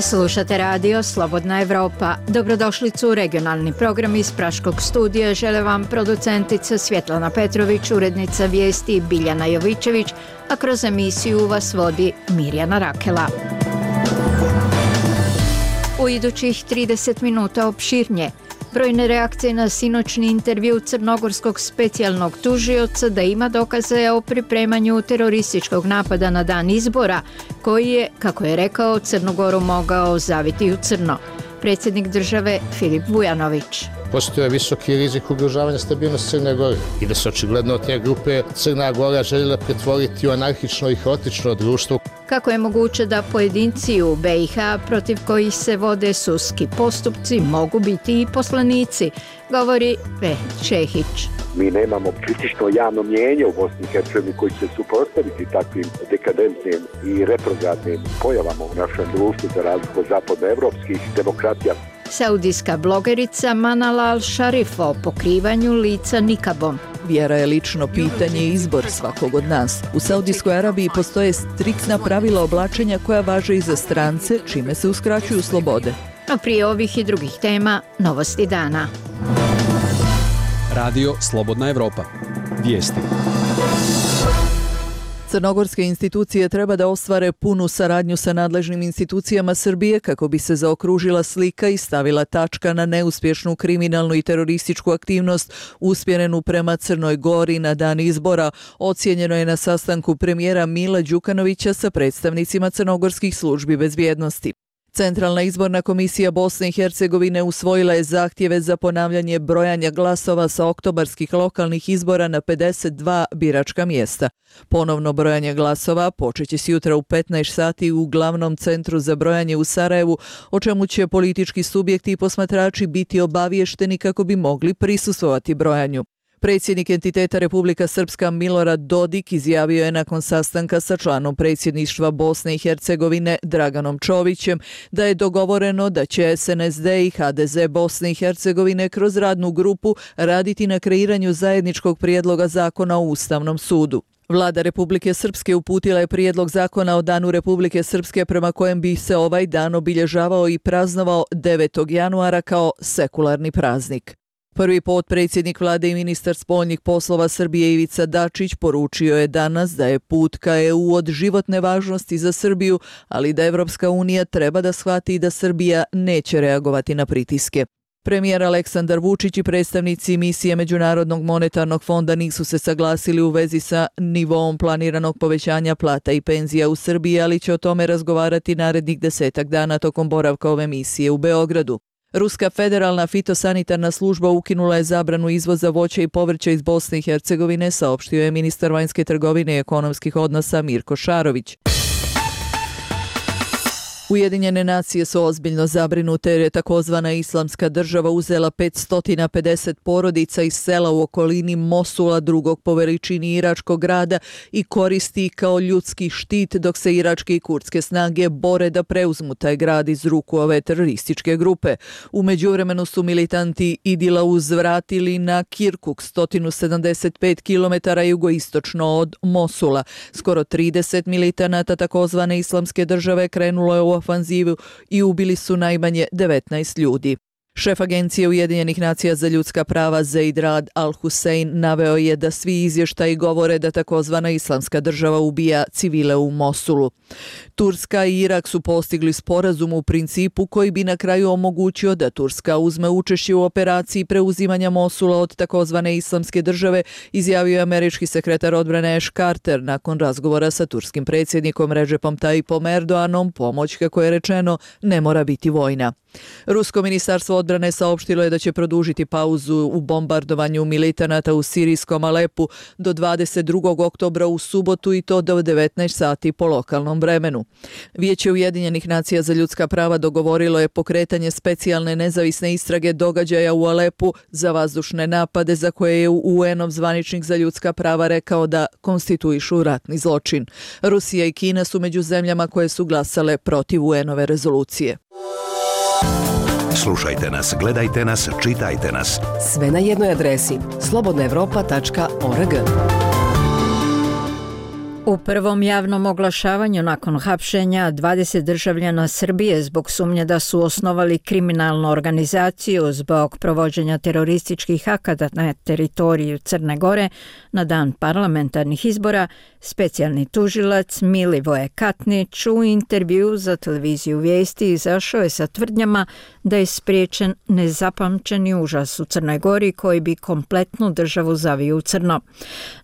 Slušate radio Slobodna Evropa. Dobrodošlicu u regionalni program iz Praškog studija. Žele vam producentica Svjetlana Petrović, urednica vijesti Biljana Jovičević, a kroz emisiju vas vodi Mirjana Rakela. U idućih 30 minuta opširnije. Brojne reakcije na sinoćni intervju crnogorskog specijalnog tužioca da ima dokaze o pripremanju terorističkog napada na dan izbora, koji je, kako je rekao, Crnogoru mogao zaviti u crno. Predsjednik države Filip Vujanović. Postoje visoki rizik ugrožavanja stabilnosti Crne Gore i da se očigledno od te grupe Crna Gora željela pretvoriti u anarhično i haotično društvo. Kako je moguće da pojedinci u BiH protiv kojih se vode sudski postupci mogu biti i poslanici, govori Čehić. Mi nemamo kritično javno mnijenje u Bosni i Hercegovini koji će se suprotstaviti takvim dekadentnim i retrogradnim pojavama u našem društvu za razliku od zapadnoevropskih demokratija. Saudijska blogerica Manal al-Sharif o pokrivanju lica nikabom. Vjera je lično pitanje i izbor svakog od nas. U Saudijskoj Arabiji postoje striktna pravila oblačenja koja važe i za strance, čime se uskraćuju slobode. A prije ovih i drugih tema, novosti dana. Radio Slobodna Evropa. Vijesti. Crnogorske institucije treba da ostvare punu saradnju sa nadležnim institucijama Srbije kako bi se zaokružila slika i stavila tačka na neuspješnu kriminalnu i terorističku aktivnost usmjerenu prema Crnoj Gori na dan izbora, ocijenjeno je na sastanku premijera Mila Đukanovića sa predstavnicima crnogorskih službi bezbjednosti. Centralna izborna komisija Bosne i Hercegovine usvojila je zahtjeve za ponavljanje brojanja glasova sa oktobarskih lokalnih izbora na 52 biračka mjesta. Ponovno brojanje glasova počeće se jutra u 15 sati u glavnom centru za brojanje u Sarajevu, o čemu će politički subjekti i posmatrači biti obaviješteni kako bi mogli prisustvovati brojanju. Predsjednik entiteta Republika Srpska Milorad Dodik izjavio je nakon sastanka sa članom predsjedništva Bosne i Hercegovine Draganom Čovićem da je dogovoreno da će SNSD i HDZ Bosne i Hercegovine kroz radnu grupu raditi na kreiranju zajedničkog prijedloga zakona o Ustavnom sudu. Vlada Republike Srpske uputila je prijedlog zakona o Danu Republike Srpske prema kojem bi se ovaj dan obilježavao i praznovao 9. januara kao sekularni praznik. Prvi potpredsjednik vlade i ministar spoljnih poslova Srbije Ivica Dačić poručio je danas da je put ka EU od životne važnosti za Srbiju, ali da Evropska unija treba da shvati da Srbija neće reagovati na pritiske. Premijer Aleksandar Vučić i predstavnici misije Međunarodnog monetarnog fonda nisu se saglasili u vezi sa nivoom planiranog povećanja plata i penzija u Srbiji, ali će o tome razgovarati narednih 10 dana tokom boravka ove misije u Beogradu. Ruska federalna fitosanitarna služba ukinula je zabranu izvoza voća i povrća iz Bosne i Hercegovine, saopštio je ministar vanjske trgovine i ekonomskih odnosa Mirko Šarović. Ujedinjene nacije su ozbiljno zabrinute jer je takozvana Islamska država uzela 550 porodica iz sela u okolini Mosula, drugog po veličini iračkog grada, i koristi kao ljudski štit dok se iračke i kurdske snage bore da preuzmu taj grad iz ruku ove terorističke grupe. U međuvremenu su militanti Idila uzvratili na Kirkuk, 175 km jugoistočno od Mosula. Skoro 30 militanata takozvane Islamske države krenulo je u ofanzivu i ubili su najmanje 19 ljudi. Šef Agencije Ujedinjenih nacija za ljudska prava Zeid Rad al-Hussein naveo je da svi izvještaji govore da takozvana Islamska država ubija civile u Mosulu. Turska i Irak su postigli sporazum u principu koji bi na kraju omogućio da Turska uzme učešće u operaciji preuzimanja Mosula od takozvane Islamske države, izjavio je američki sekretar odbrane Ash Carter nakon razgovora sa turskim predsjednikom Recepom Tayyipom Erdoganom. Pomoć, kako je rečeno, ne mora biti vojna. Rusko ministarstvo odbrane saopštilo je da će produžiti pauzu u bombardovanju militanata u sirijskom Alepu do 22. oktobra u subotu, i to do 19 sati po lokalnom vremenu. Vijeće Ujedinjenih nacija za ljudska prava dogovorilo je pokretanje specijalne nezavisne istrage događaja u Alepu za vazdušne napade za koje je UN-ov zvaničnik za ljudska prava rekao da konstituišu ratni zločin. Rusija i Kina su među zemljama koje su glasale protiv UN-ove rezolucije. Slušajte nas, gledajte nas, čitajte nas. Sve na jednoj adresi slobodnaevropa.org. U prvom javnom oglašavanju nakon hapšenja 20 državljana Srbije zbog sumnje da su osnovali kriminalnu organizaciju zbog provođenja terorističkih akata na teritoriju Crne Gore na dan parlamentarnih izbora, specijalni tužilac Milivoje Katnić u intervju za televiziju Vijesti izašao je sa tvrdnjama da je spriječen nezapamćeni užas u Crnoj Gori koji bi kompletnu državu zavio u crno.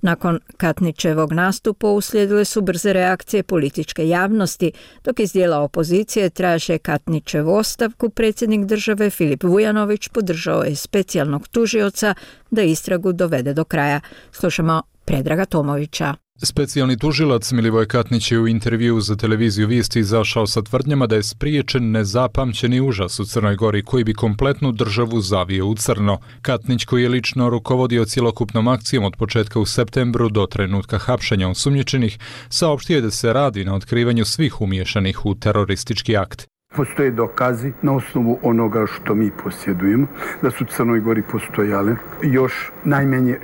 Nakon Katnićevog nastupa uslijedile su brze reakcije političke javnosti, dok iz dijela opozicije traže Katnićevu ostavku. Predsjednik države Filip Vujanović podržao je specijalnog tužioca da istragu dovede do kraja. Slušamo Predraga Tomovića. Specijalni tužilac Milivoje Katnić je u intervju za televiziju Vijesti izašao sa tvrdnjama da je spriječen nezapamćeni užas u Crnoj Gori koji bi kompletnu državu zavio u crno. Katnić, koji je lično rukovodio cjelokupnom akcijom od početka u septembru do trenutka hapšenja osumnjičenih, saopštio je da se radi na otkrivanju svih umiješanih u teroristički akt. Postoje dokazi na osnovu onoga što mi posjedujemo da su u Crnoj Gori postojale još najmanje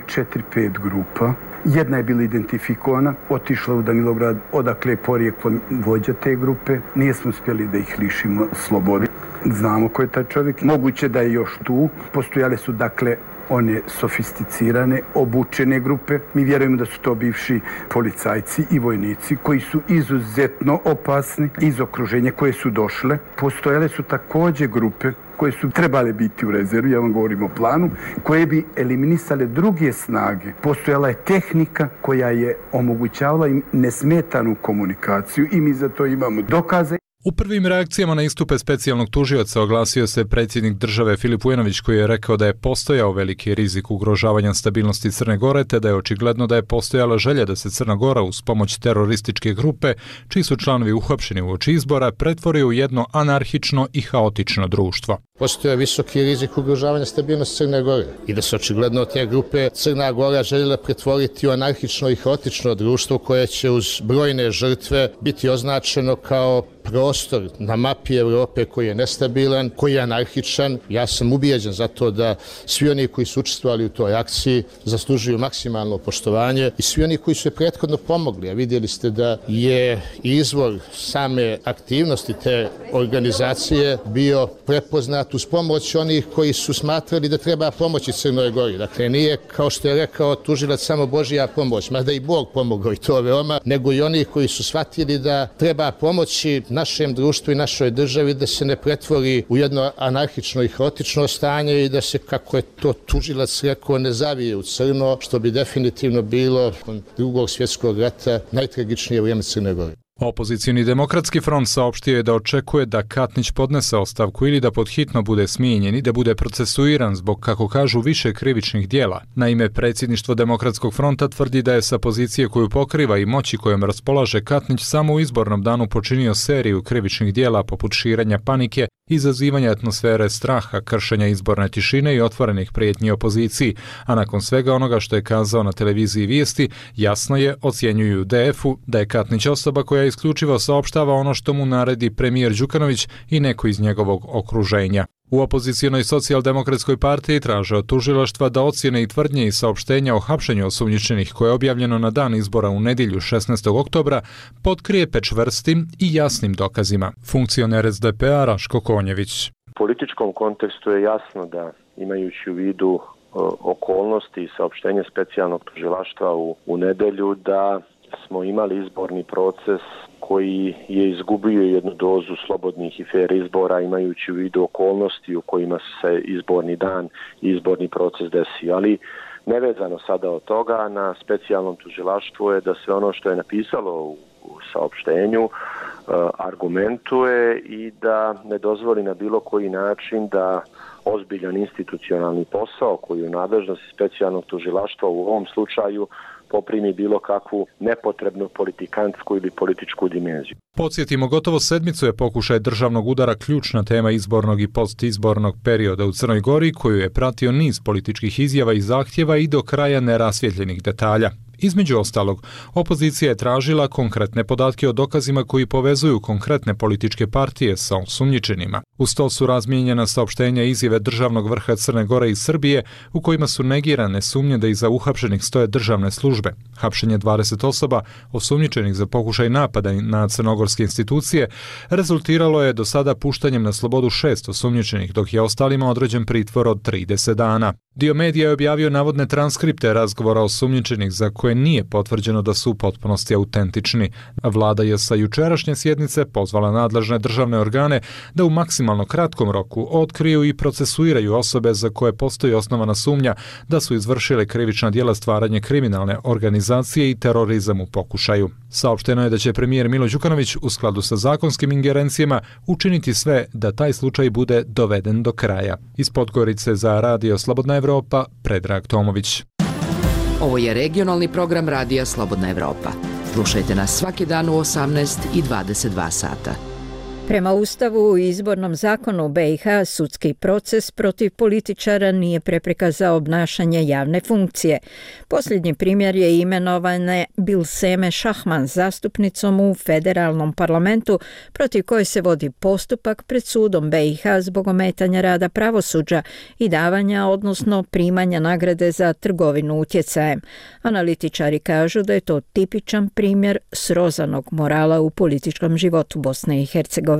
4-5 grupa. Jedna je bila identifikovana, otišla u Danilograd, odakle je porijeklom vođa te grupe. Nismo uspjeli da ih lišimo slobode. Znamo ko je taj čovjek. Moguće da je još tu. Postojale su dakle one sofisticirane, obučene grupe. Mi vjerujemo da su to bivši policajci i vojnici koji su izuzetno opasni iz okruženja koje su došle. Postojale su također grupe koje su trebale biti u rezervi, ja vam govorim o planu, koje bi eliminisale druge snage. Postojala je tehnika koja je omogućavala im nesmetanu komunikaciju i mi za to imamo dokaze. U prvim reakcijama na istupe specijalnog tužioca oglasio se predsjednik države Filip Vujanović, koji je rekao da je postojao veliki rizik ugrožavanja stabilnosti Crne Gore, te da je očigledno da je postojala želja da se Crna Gora uz pomoć terorističke grupe, čiji su članovi uhapšeni uoči izbora, pretvori u jedno anarhično i haotično društvo. Postoje visoki rizik ugrožavanja stabilnosti Crne Gore i da se očigledno od te grupe Crna Gora željela pretvoriti u anarhično i haotično društvo koje će uz brojne žrtve biti označeno kao prostor na mapi Europe koji je nestabilan, koji je anarhičan. Ja sam ubijeđen za to da svi oni koji su učestvovali u toj akciji zaslužuju maksimalno poštovanje i svi oni koji su je prethodno pomogli. A vidjeli ste da je izvor same aktivnosti te organizacije bio prepoznat uz pomoć onih koji su smatrali da treba pomoći Crnoj Gori. Dakle, nije, kao što je rekao tužilac, samo Božja pomoć, mada i Bog pomogao i to veoma, nego i oni koji su shvatili da treba pomoći našem društvu i našoj državi da se ne pretvori u jedno anarhično i haotično stanje i da se, kako je to tužilac rekao, ne zavije u crno, što bi definitivno bilo od Drugog svjetskog rata najtragičnije vrijeme Crne Gore. Opozicioni demokratski front saopštio je da očekuje da Katnić podnese ostavku ili da podhitno bude smijenjen i da bude procesuiran zbog, kako kažu, više krivičnih dijela. Naime, predsjedništvo Demokratskog fronta tvrdi da je sa pozicije koju pokriva i moći kojom raspolaže Katnić samo u izbornom danu počinio seriju krivičnih dijela poput širenja panike, izazivanja atmosfere straha, kršenja izborne tišine i otvorenih prijetnji opoziciji, a nakon svega onoga što je kazao na televiziji Vijesti, jasno je, ocjenjuju DF-u, da je Katnić osoba koja isključivo saopštava ono što mu naredi premijer Đukanović i neko iz njegovog okruženja. U opozicijonoj socijaldemokratskoj partiji traže od tužilaštva da ocjene i tvrdnje i saopštenja o hapšenju osumnjičenih koje je objavljeno na dan izbora u nedjelju 16. oktobra potkrijepe čvrstim i jasnim dokazima. Funkcioner SDP-a Raško Konjević. U političkom kontekstu je jasno da, imajući u vidu okolnosti i saopštenje specijalnog tužilaštva u nedjelju, da smo imali izborni proces koji je izgubio jednu dozu slobodnih i fer izbora, imajući u vidu okolnosti u kojima se izborni dan i izborni proces desio. Ali nevezano sada od toga, na specijalnom tužilaštvu je da sve ono što je napisalo u saopštenju argumentuje i da ne dozvoli na bilo koji način da ozbiljan institucionalni posao koji je u nadležnosti specijalnog tužilaštva u ovom slučaju poprimi bilo kakvu nepotrebnu politikantsku ili političku dimenziju. Podsjetimo, gotovo sedmicu je pokušaj državnog udara ključna tema izbornog i postizbornog perioda u Crnoj Gori, koju je pratio niz političkih izjava i zahtjeva i do kraja nerasvjetljenih detalja. Između ostalog, opozicija je tražila konkretne podatke o dokazima koji povezuju konkretne političke partije sa osumnjičenima. Uz to su razmijenjena saopštenja i izjave državnog vrha Crne Gore i Srbije u kojima su negirane sumnje da iza uhapšenih stoje državne službe. Hapšenje 20 osoba osumnjičenih za pokušaj napada na crnogorske institucije rezultiralo je do sada puštanjem na slobodu 6 osumnjičenih, dok je ostalima određen pritvor od 30 dana. Dio medija je objavio navodne transkripte razgovora osumnjičenih za koje nije potvrđeno da su u potpunosti autentični. Vlada je sa jučerašnje sjednice pozvala nadležne državne organe da u maksimalno kratkom roku otkriju i procesuiraju osobe za koje postoji osnovana sumnja da su izvršile krivična djela stvaranje kriminalne organizacije i terorizam u pokušaju. Saopšteno je da će premijer Milo Đukanović u skladu sa zakonskim ingerencijama učiniti sve da taj slučaj bude doveden do kraja. Iz Podgorice za Radio Slobodna Evropa, Predrag Tomović. Ovo je regionalni program Radija Slobodna Evropa. Slušajte nas svaki dan u 18 i 22 sata. Prema Ustavu u izbornom zakonu BiH sudski proces protiv političara nije prepreka za obnašanje javne funkcije. Posljednji primjer je imenovane Bilseme Šahman zastupnicom u federalnom parlamentu protiv koje se vodi postupak pred sudom BiH zbog ometanja rada pravosuđa i davanja, odnosno primanja nagrade za trgovinu utjecajem. Analitičari kažu da je to tipičan primjer srozanog morala u političkom životu Bosne i Hercegovine.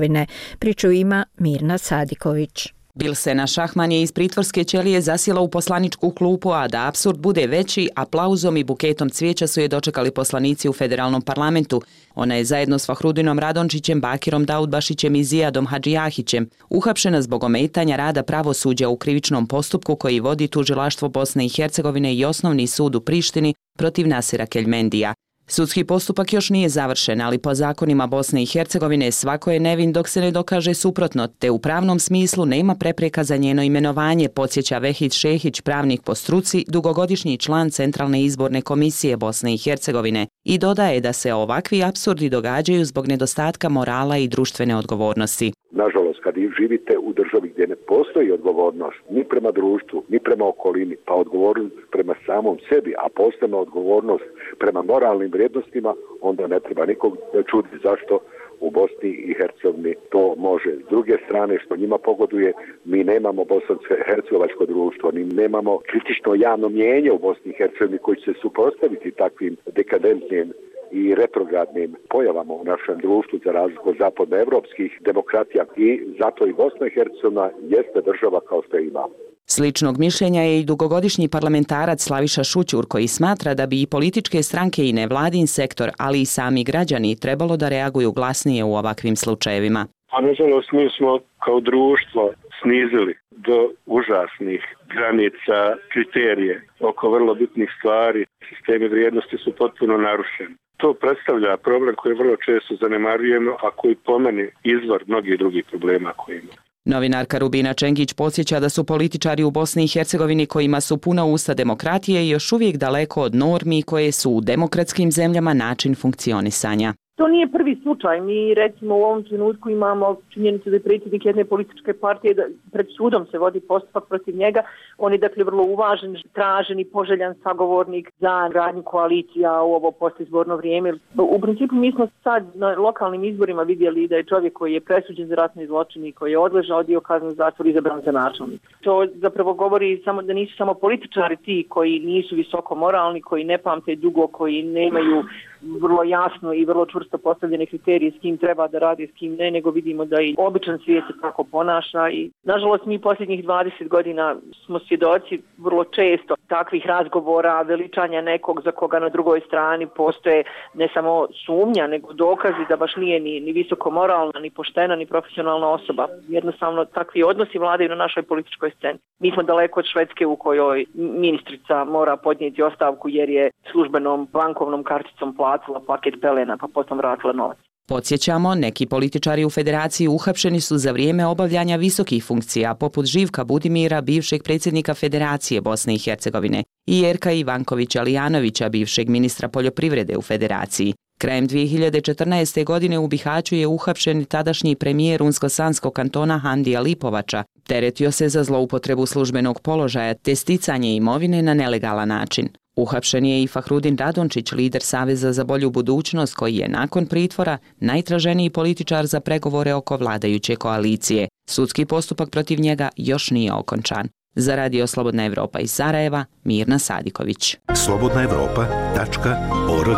Priču ima Mirna Sadiković. Bilsena Šahman je iz pritvorske ćelije zasjela u poslaničku klupu, a da apsurd bude veći, aplauzom i buketom cvijeća su je dočekali poslanici u federalnom parlamentu. Ona je zajedno s Fahrudinom Radončićem, Bakirom Daudbašićem i Zijadom Hadžijahićem uhapšena zbog ometanja rada pravosuđa u krivičnom postupku koji vodi tužilaštvo Bosne i Hercegovine i osnovni sud u Prištini protiv Nasira Keljmendija. Sudski postupak još nije završen, ali po zakonima Bosne i Hercegovine svako je nevin dok se ne dokaže suprotno, te u pravnom smislu nema prepreka za njeno imenovanje, podsjeća Vehid Šehić, pravnik po struci, dugogodišnji član Centralne izborne komisije Bosne i Hercegovine, i dodaje da se ovakvi apsurdi događaju zbog nedostatka morala i društvene odgovornosti. Nažalost, kad živite u državi gdje ne postoji odgovornost ni prema društvu, ni prema okolini, pa odgovornost prema samom sebi, a posebno odgovornost prema moralnim vrijednostima, onda ne treba nikog čuditi zašto u Bosni i Hercegovini to može. S druge strane, što njima pogoduje, mi nemamo bosansko-hercegovačko društvo, ni nemamo kritično javno mnijenje u Bosni i Hercegovini koji će se suprotstaviti takvim dekadentnim i retrogradnim pojavama u našem društvu za razliku od zapadnoevropskih demokratija, i zato i Bosna i Hercegovina jeste država kao što je imamo. Sličnog mišljenja je i dugogodišnji parlamentarac Slaviša Šućur, koji smatra da bi i političke stranke i nevladin sektor, ali i sami građani trebalo da reaguju glasnije u ovakvim slučajevima. A nažalost mi smo kao društvo snizili do užasnih granica kriterije oko vrlo bitnih stvari. Sistemi vrijednosti su potpuno narušeni. To predstavlja problem koji vrlo često zanemarujemo, a koji po meni izvor mnogih drugih problema koji imamo. Novinarka Rubina Čengić podsjeća da su političari u Bosni i Hercegovini kojima su puna usta demokratije još uvijek daleko od normi koje su u demokratskim zemljama način funkcionisanja. To nije prvi slučaj. Mi recimo u ovom trenutku imamo činjenicu da je predsjednik jedne političke partije, da pred sudom se vodi postupak protiv njega. On je dakle vrlo uvažen, tražen i poželjan sagovornik za gradnju koalicija u ovo postizborno vrijeme. U principu mi smo sad na lokalnim izborima vidjeli da je čovjek koji je presuđen za ratni zločin i koji je odležao dio kazne zatvora izabran za načelnik. To zapravo govori samo da nisu samo političari ti koji nisu visoko moralni, koji ne pamte dugo, koji nemaju vrlo jasno i vrlo čvrsto postavljene kriterije s kim treba da radi, s kim ne, nego vidimo da i običan svijet se tako ponaša. I nažalost mi posljednjih 20 godina smo svjedoci vrlo često takvih razgovora, veličanja nekog za koga na drugoj strani postoje ne samo sumnja, nego dokazi da baš nije ni visoko moralna, ni poštena, ni profesionalna osoba. Jednostavno takvi odnosi vladaju na našoj političkoj sceni. Mi smo daleko od Švedske u kojoj ministrica mora podnijeti ostavku jer je službenom bankovnom karticom platila paket pelena pa potom vratila novac. Podsjećamo, neki političari u federaciji uhapšeni su za vrijeme obavljanja visokih funkcija, poput Živka Budimira, bivšeg predsjednika Federacije Bosne i Hercegovine, i Jerka Ivankovića Lijanovića, bivšeg ministra poljoprivrede u federaciji. Krajem 2014. godine u Bihaću je uhapšen tadašnji premijer Unsko-Sanskog kantona Handija Lipovača. Teretio se za zloupotrebu službenog položaja te sticanje imovine na nelegalan način. Uhapšen je i Fahrudin Radončić, lider Saveza za bolju budućnost, koji je nakon pritvora najtraženiji političar za pregovore oko vladajuće koalicije. Sudski postupak protiv njega još nije okončan. Za Radio Slobodna Evropa iz Sarajeva, Mirna Sadiković. slobodnaevropa.org.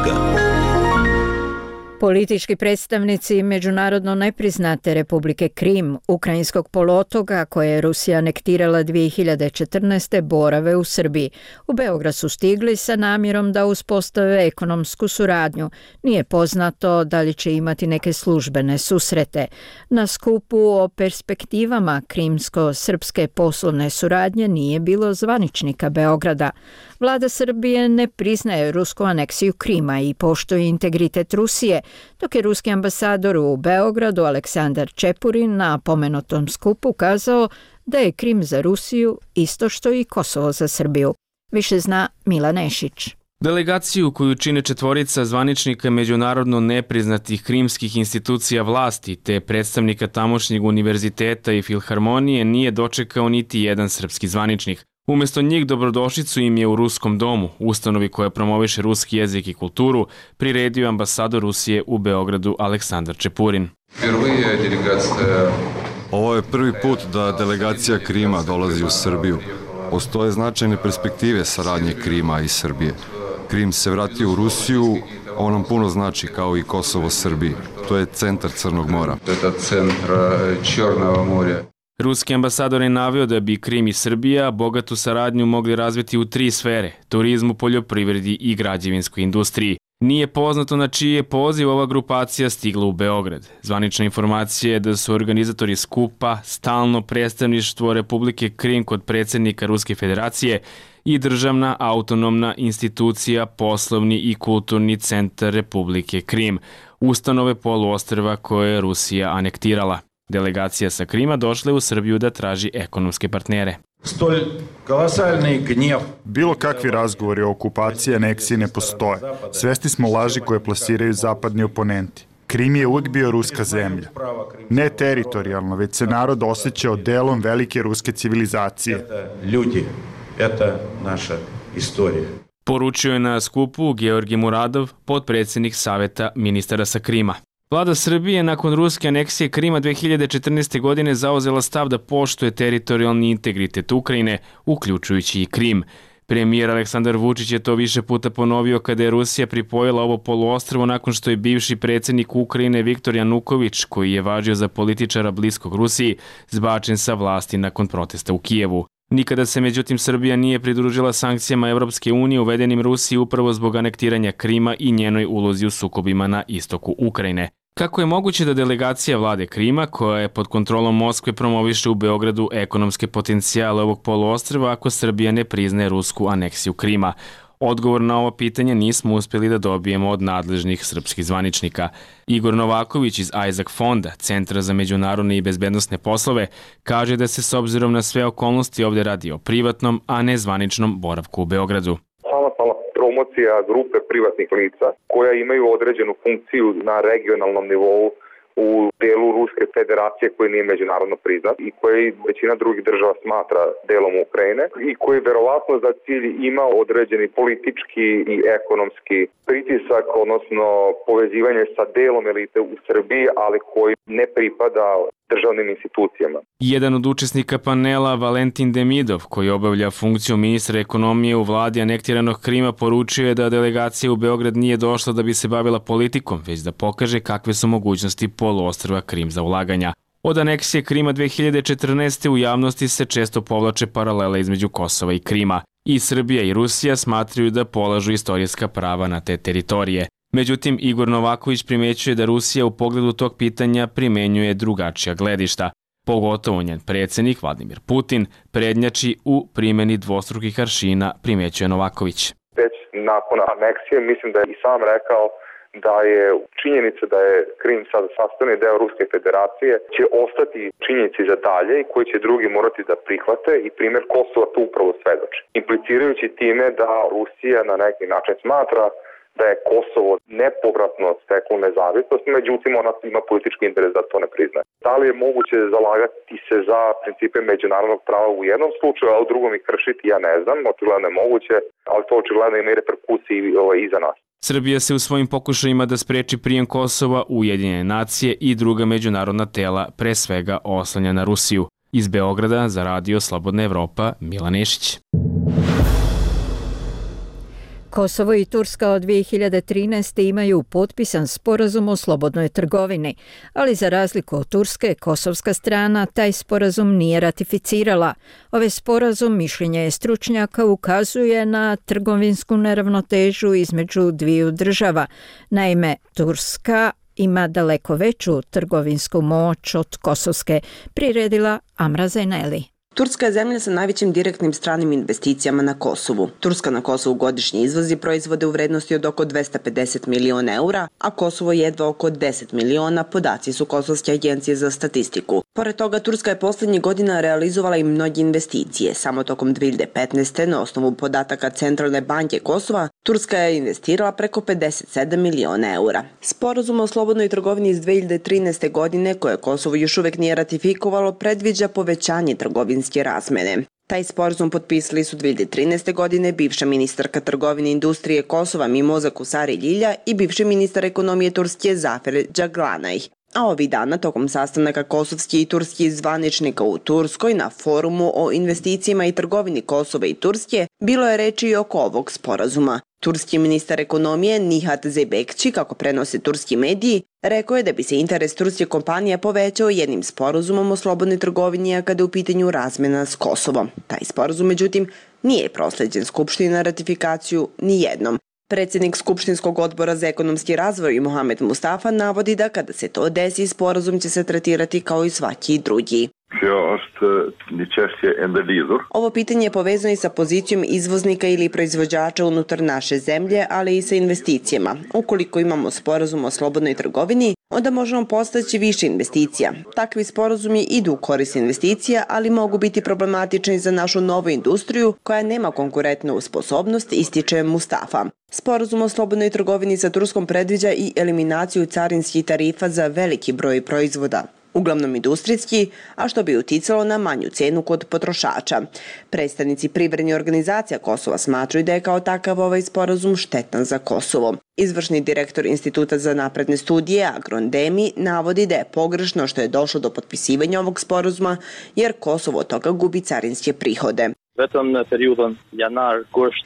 Politički predstavnici međunarodno nepriznate Republike Krim, ukrajinskog poluotoka koje je Rusija anektirala 2014. borave u Srbiji. U Beograd su stigli sa namjerom da uspostave ekonomsku suradnju. Nije poznato da li će imati neke službene susrete. Na skupu o perspektivama krimsko-srpske poslovne suradnje nije bilo zvaničnika Beograda. Vlada Srbije ne priznaje rusku aneksiju Krima i poštuje integritet Rusije, dok je ruski ambasador u Beogradu Aleksandar Čepurin na pomenutom skupu kazao da je Krim za Rusiju isto što i Kosovo za Srbiju. Više zna Mila Nešić. Delegaciju koju čine četvorica zvaničnika međunarodno nepriznatih krimskih institucija vlasti te predstavnika tamošnjeg univerziteta i filharmonije nije dočekao niti jedan srpski zvaničnik. Umjesto njih dobrodošlicu im je u Ruskom domu, ustanovi koja promoviše ruski jezik i kulturu, priredio ambasador Rusije u Beogradu Aleksandar Čepurin. Ovo je prvi put da delegacija Krima dolazi u Srbiju. Postoje značajne perspektive saradnje Krima i Srbije. Krim se vratio u Rusiju, ovo nam puno znači kao i Kosovo Srbiji. To je centar Crnog mora. Ruski ambasador je naveo da bi Krim i Srbija bogatu saradnju mogli razviti u 3 sfere: turizmu, poljoprivredi i građevinskoj industriji. Nije poznato na čiji je poziv ova grupacija stigla u Beograd. Zvanična informacija je da su organizatori skupa stalno predstavništvo Republike Krim kod predsjednika Ruske federacije i državna autonomna institucija Poslovni i kulturni centar Republike Krim, ustanove poluostrva koje je Rusija anektirala. Delegacija sa Krima došla je u Srbiju da traži ekonomske partnere. Bilo kakvi razgovori o okupaciji i aneksiji ne postoje. Svesni smo laži koje plasiraju zapadni oponenti. Krim je uvijek bio ruska zemlja. Ne teritorijalno, već se narod osjećao delom velike ruske civilizacije. Poručio je na skupu Georgi Muradov, potpredsjednik Saveta ministara sa Krima. Vlada Srbije nakon ruske aneksije Krima 2014. godine zauzela stav da poštuje teritorijalni integritet Ukrajine, uključujući i Krim. Premijer Aleksandar Vučić je to više puta ponovio kada je Rusija pripojila ovo poluostrvo nakon što je bivši predsjednik Ukrajine Viktor Januković, koji je važio za političara bliskog Rusiji, zbačen sa vlasti nakon protesta u Kijevu. Nikada se međutim Srbija nije pridružila sankcijama Evropske unije uvedenim Rusiji upravo zbog anektiranja Krima i njenoj ulozi u sukobima na istoku Ukrajine. Kako je moguće da delegacija vlade Krima, koja je pod kontrolom Moskve, promoviše u Beogradu ekonomske potencijale ovog poluostrva ako Srbija ne priznaje rusku aneksiju Krima? Odgovor na ovo pitanje nismo uspjeli da dobijemo od nadležnih srpskih zvaničnika. Igor Novaković iz Isaac fonda, Centra za međunarodne i bezbednosne poslove, kaže da se s obzirom na sve okolnosti ovdje radi o privatnom, a ne zvaničnom boravku u Beogradu. Promocija grupe privatnih lica koja imaju određenu funkciju na regionalnom nivou u delu Ruske federacije koji nije međunarodno priznat i koji većina drugih država smatra delom Ukrajine i koji verovatno za cilj ima određeni politički i ekonomski pritisak, odnosno povezivanje sa delom elite u Srbiji, ali koji ne pripada državnim institucijama. Jedan od učesnika panela, Valentin Demidov, koji obavlja funkciju ministra ekonomije u vladi anektiranog Krima, poručio je da delegacija u Beograd nije došla da bi se bavila politikom, već da pokaže kakve su mogućnosti poluostrva Krim za ulaganja. Od aneksije Krima 2014. u javnosti se često povlače paralele između Kosova i Krima. I Srbija i Rusija smatraju da polažu istorijska prava na te teritorije. Međutim, Igor Novaković primećuje da Rusija u pogledu tog pitanja primenjuje drugačija gledišta. Pogotovo njen predsjednik Vladimir Putin prednjači u primjeni dvostrukih aršina, primećuje Novaković. Već nakon aneksije mislim da je i sam rekao da je činjenica da je Krim sad sastavni deo Ruske federacije će ostati činjenici za dalje i koji će drugi morati da prihvate i primjer Kosova to upravo svedoči. Implicirajući time da Rusija na neki način smatra da je Kosovo nepovratno steklo nezavisnost, međutim ona ima politički interes da to ne priznaje. Da li je moguće zalagati se za principe međunarodnog prava u jednom slučaju, a u drugom ih kršiti, ja ne znam, očigledno je moguće, ali to očigledno ima i reperkusiji i za nas. Srbija se u svojim pokušajima da spreči prijem Kosova u Ujedinjene nacije i druga međunarodna tela pre svega oslanja na Rusiju. Iz Beograda za Radio Slobodna Evropa, Milan Nešić. Kosovo i Turska od 2013. imaju potpisan sporazum o slobodnoj trgovini, ali za razliku od Turske, kosovska strana taj sporazum nije ratificirala. Ovaj sporazum, mišljenje je stručnjaka, ukazuje na trgovinsku neravnotežu između dviju država. Naime, Turska ima daleko veću trgovinsku moć od kosovske, priredila Amra Zeneli. Turska je zemlja sa najvećim direktnim stranim investicijama na Kosovu. Turska na Kosovu godišnje izvozi proizvode u vrednosti od oko 250 miliona eura, a Kosovo jedva oko 10 miliona, podaci su Kosovske agencije za statistiku. Pored toga, Turska je poslednjih godina realizovala i mnoge investicije. Samo tokom 2015. na osnovu podataka Centralne banke Kosova, Turska je investirala preko 57 miliona eura. Sporazum o slobodnoj trgovini iz 2013. godine, koje Kosovo još uvek nije ratifikovalo, predviđa povećanje trgovinske razmene. Taj sporazum potpisali su 2013. godine bivša ministarka trgovine i industrije Kosova Mimoza Kusari Ljilja i bivši ministar ekonomije Turske Zafer Džaglanaj. A ovih dana, tokom sastanaka kosovskih i turskih zvaničnika u Turskoj na forumu o investicijama i trgovini Kosova i Turske, bilo je reči i oko ovog sporazuma. Turski ministar ekonomije Nihat Zeybekci, kako prenose turski mediji, rekao je da bi se interes turske kompanije povećao jednim sporazumom o slobodnoj trgovini, a kada je u pitanju razmena s Kosovom. Taj sporazum, međutim, nije prosleđen Skupštini na ratifikaciju ni jednom. Predsjednik Skupštinskog odbora za ekonomski razvoj Mohamed Mustafa navodi da kada se to desi, sporazum će se tretirati kao i svaki drugi. Ovo pitanje je povezano i sa pozicijom izvoznika ili proizvođača unutar naše zemlje, ali i sa investicijama. Ukoliko imamo sporazum o slobodnoj trgovini, onda možemo postaći više investicija. Takvi sporazumi idu u korist investicija, ali mogu biti problematični za našu novu industriju koja nema konkurentnu sposobnost, ističe Mustafa. Sporazum o slobodnoj trgovini sa Turskom predviđa i eliminaciju carinskih tarifa za veliki broj proizvoda, uglavnom industrijski, a što bi uticalo na manju cenu kod potrošača. Predstavnici privrednih organizacija Kosova smatraju da je kao takav ovaj sporazum štetan za Kosovo. Izvršni direktor Instituta za napredne studije Agron Demi navodi da je pogrešno što je došlo do potpisivanja ovog sporazuma, jer Kosovo od toga gubi carinske prihode.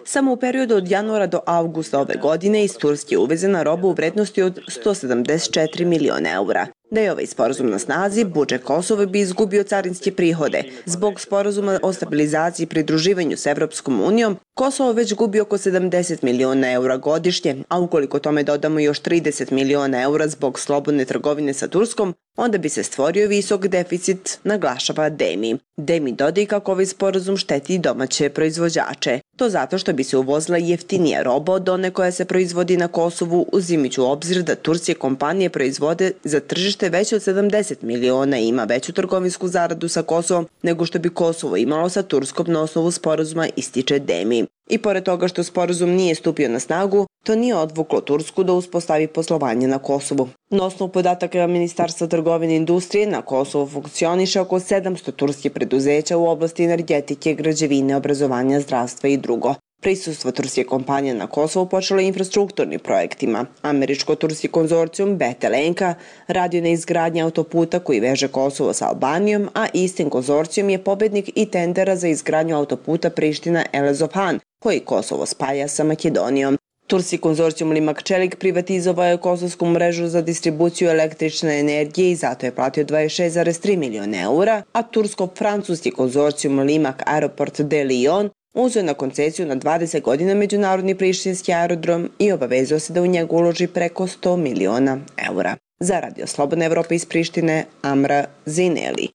Samo u periodu od januara do avgusta ove godine iz Turske je uvezena roba u vrednosti od 174 miliona eura. Da je ovaj sporazum na snazi, budžet Kosova bi izgubio carinske prihode. Zbog sporazuma o stabilizaciji i pridruživanju s Evropskom unijom, Kosovo već gubi oko 70 miliona eura godišnje, a ukoliko tome dodamo još 30 miliona eura zbog slobodne trgovine sa Turskom, onda bi se stvorio visok deficit, naglašava Demi. Demi dodaje kako ovaj sporazum šteti domaće proizvođače. To zato što bi se uvozila jeftinija roba od one koja se proizvodi na Kosovu, uzimajući u obzir da turske kompanije proizvode za tržište veće od 70 miliona i ima veću trgovinsku zaradu sa Kosovom nego što bi Kosovo imalo sa Turskom na osnovu sporazuma, ističe Demi. I pored toga što sporazum nije stupio na snagu, to nije odvuklo Tursku da uspostavi poslovanje na Kosovu. Na osnovu podataka Ministarstva trgovine i industrije na Kosovu funkcioniše oko 700 turskih preduzeća u oblasti energetike, građevine, obrazovanja, zdravstva i drugo. Prisustvo turske kompanije na Kosovu počelo je infrastrukturnim projektima. Američko-turski konzorcijum Betelenka radio na izgradnji autoputa koji veže Kosovo sa Albanijom, a istim konzorcijum je pobednik i tendera za izgradnju autoputa Priština-Elezofan, koji Kosovo spaja sa Makedonijom. Turski konzorcijum Limak Čelik privatizovao je kosovsku mrežu za distribuciju električne energije i zato je platio 26,3 miliona eura, a tursko-francuski konzorcijum Limak Aeroport de Lyon uzeo je na koncesiju na 20 godina međunarodni prištinski aerodrom i obavezao se da u njega uloži preko 100 miliona eura. Za Radio Slobodna Evropa iz Prištine, Amra Zineli.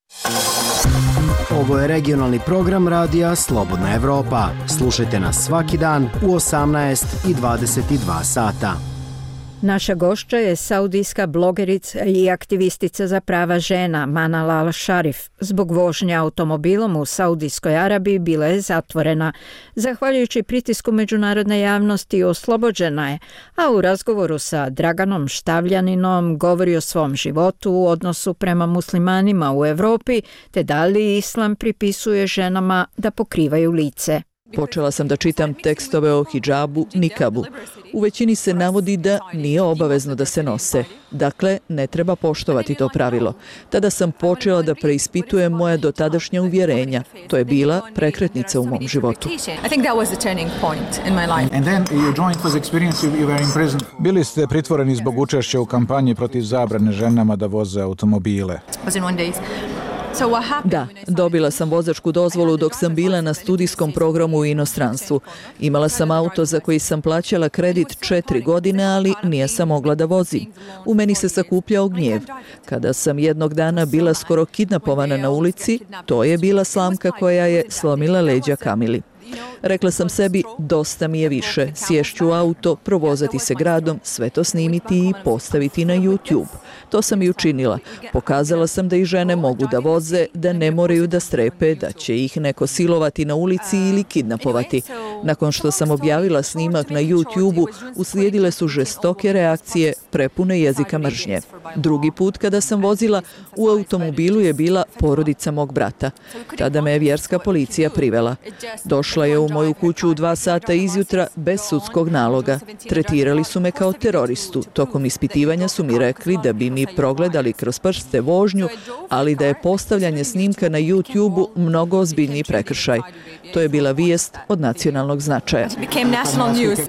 Ovo je regionalni program Radija Slobodna Evropa. Slušajte nas svaki dan u 18 i 22 sata. Naša gošća je saudijska blogerica i aktivistica za prava žena Manal al-Sharif. Zbog vožnje automobilom u Saudijskoj Arabiji bila je zatvorena. Zahvaljujući pritisku međunarodne javnosti oslobođena je, a u razgovoru sa Draganom Štavljaninom govori o svom životu u odnosu prema muslimanima u Europi, te da li islam pripisuje ženama da pokrivaju lice. Počela sam da čitam tekstove o hidžabu, nikabu. U većini se navodi da nije obavezno da se nose. Dakle, ne treba poštovati to pravilo. Tada sam počela da preispitujem moja dotadašnja uvjerenja. To je bila prekretnica u mom životu. Bili ste pritvoreni zbog učešća u kampanji protiv zabrane ženama da voze automobile. Da, dobila sam vozačku dozvolu dok sam bila na studijskom programu u inostranstvu. Imala sam auto za koji sam plaćala kredit 4 godine, ali nije sam mogla da vozim. U meni se sakupljao gnjev. Kada sam jednog dana bila skoro kidnapovana na ulici, to je bila slamka koja je slomila leđa Kamili. Rekla sam sebi, dosta mi je više, sješću u auto, provozati se gradom, sve to snimiti i postaviti na YouTube. To sam i učinila. Pokazala sam da i žene mogu da voze, da ne moraju da strepe, da će ih neko silovati na ulici ili kidnapovati. Nakon što sam objavila snimak na YouTube-u, uslijedile su žestoke reakcije, prepune jezika mržnje. Drugi put kada sam vozila, u automobilu je bila porodica mog brata. Tada me je vjerska policija privela. Došla je u moju kuću u 2 sata izjutra bez sudskog naloga. Tretirali su me kao teroristu. Tokom ispitivanja su mi rekli da bi mi progledali kroz prste vožnju, ali da je postavljanje snimka na YouTube-u mnogo ozbiljniji prekršaj. To je bila vijest od nacionalnog značaja.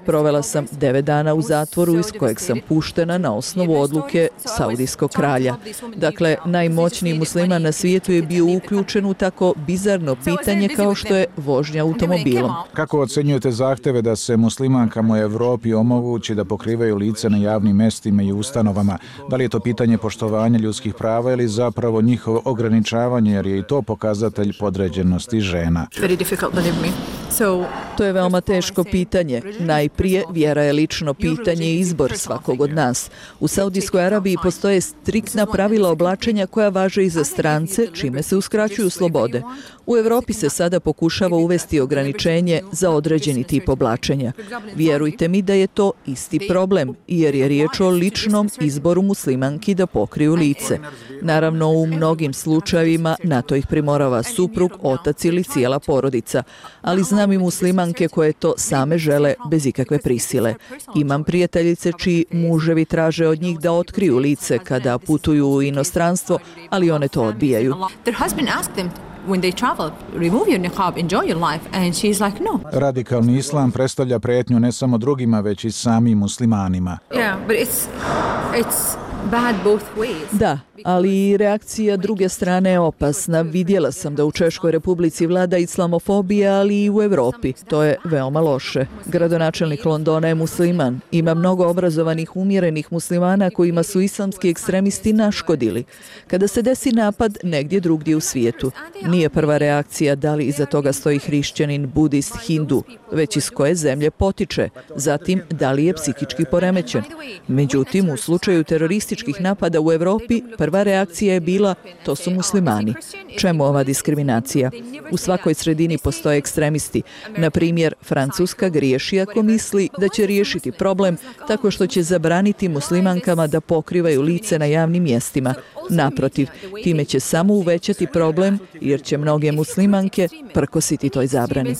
Provela sam 9 dana u zatvoru iz kojeg sam puštena na osnovu odluke saudijskog kralja. Dakle, najmoćniji musliman na svijetu je bio uključen u tako bizarno pitanje kao što je vožnja automobilom. Kako ocenjujete zahteve da se muslimankama u Evropi omogući da pokrivaju lice na javnim mestima i ustanovama? Da li je to pitanje poštovanja ljudskih prava ili zapravo njihovo ograničavanje, jer je i to pokazatelj podređenosti žena? To je veoma teško pitanje. Najprije, vjera je lično pitanje i izbor svakog od nas. U Saudijskoj Arabiji postoje striktna pravila oblačenja koja važe i za strance, čime se uskraćuju slobode. U Evropi se sada pokušava uvesti ograničenje za određeni tip oblačenja. Vjerujte mi da je to isti problem, jer je riječ o ličnom izboru muslimanki da pokriju lice. Naravno, u mnogim slučajevima na to ih primorava suprug, otac ili cijela porodica, ali znam i muslimanke koje to same žele bez ikakve prisile. Imam prijateljice čiji muževi traže od njih da otkriju lice kada putuju u inostranstvo, ali one to odbijaju. Radikalni islam predstavlja prijetnju ne samo drugima, već i samim muslimanima. Da, ali i reakcija druge strane je opasna. Vidjela sam da u Češkoj Republici vlada islamofobija, ali i u Evropi. To je veoma loše. Gradonačelnik Londona je musliman. Ima mnogo obrazovanih, umjerenih muslimana kojima su islamski ekstremisti naškodili. Kada se desi napad negdje drugdje u svijetu, nije prva reakcija da li iza toga stoji hrišćanin, budist, hindu, već iz koje zemlje potiče, zatim da li je psihički poremećen. Međutim, u slučaju terorističkih napada u Evropi, prva reakcija je bila, to su muslimani. Čemu ova diskriminacija? U svakoj sredini postoje ekstremisti. Na primjer, Francuska griješi ako misli da će riješiti problem tako što će zabraniti muslimankama da pokrivaju lice na javnim mjestima. Naprotiv, time će samo uvećati problem jer će mnoge muslimanke prkositi toj zabrani.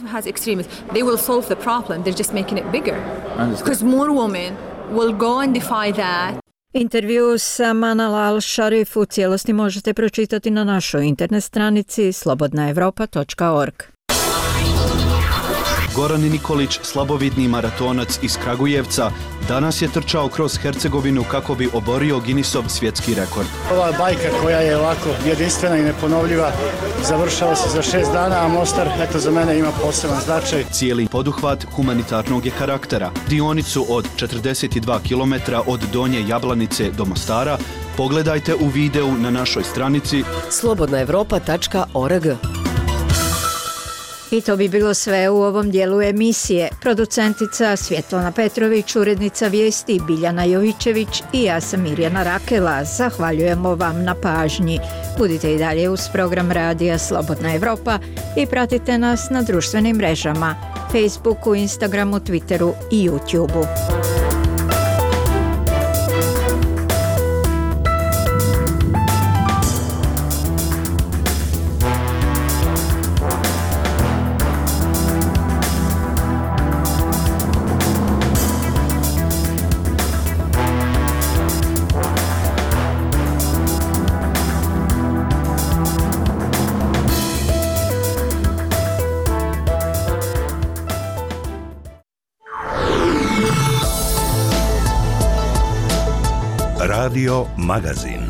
Intervju sa Manal al-Sharif u cijelosti možete pročitati na našoj internet stranici slobodnaevropa.org. Goran Nikolić, slabovidni maratonac iz Kragujevca, danas je trčao kroz Hercegovinu kako bi oborio Guinnessov svjetski rekord. Ova bajka koja je ovako jedinstvena i neponovljiva završava se za 6 dana, a Mostar, eto, za mene ima poseban značaj. Cijeli poduhvat humanitarnog je karaktera. Dionicu od 42 km od Donje Jablanice do Mostara pogledajte u videu na našoj stranici slobodnaevropa.org. I to bi bilo sve u ovom dijelu emisije. Producentica Svjetlana Petrović, urednica vijesti Biljana Jovićević i ja sam Mirjana Rakela. Zahvaljujemo vam na pažnji. Budite i dalje uz program Radija Slobodna Evropa i pratite nas na društvenim mrežama Facebooku, Instagramu, Twitteru i YouTubeu. Radio Magazin.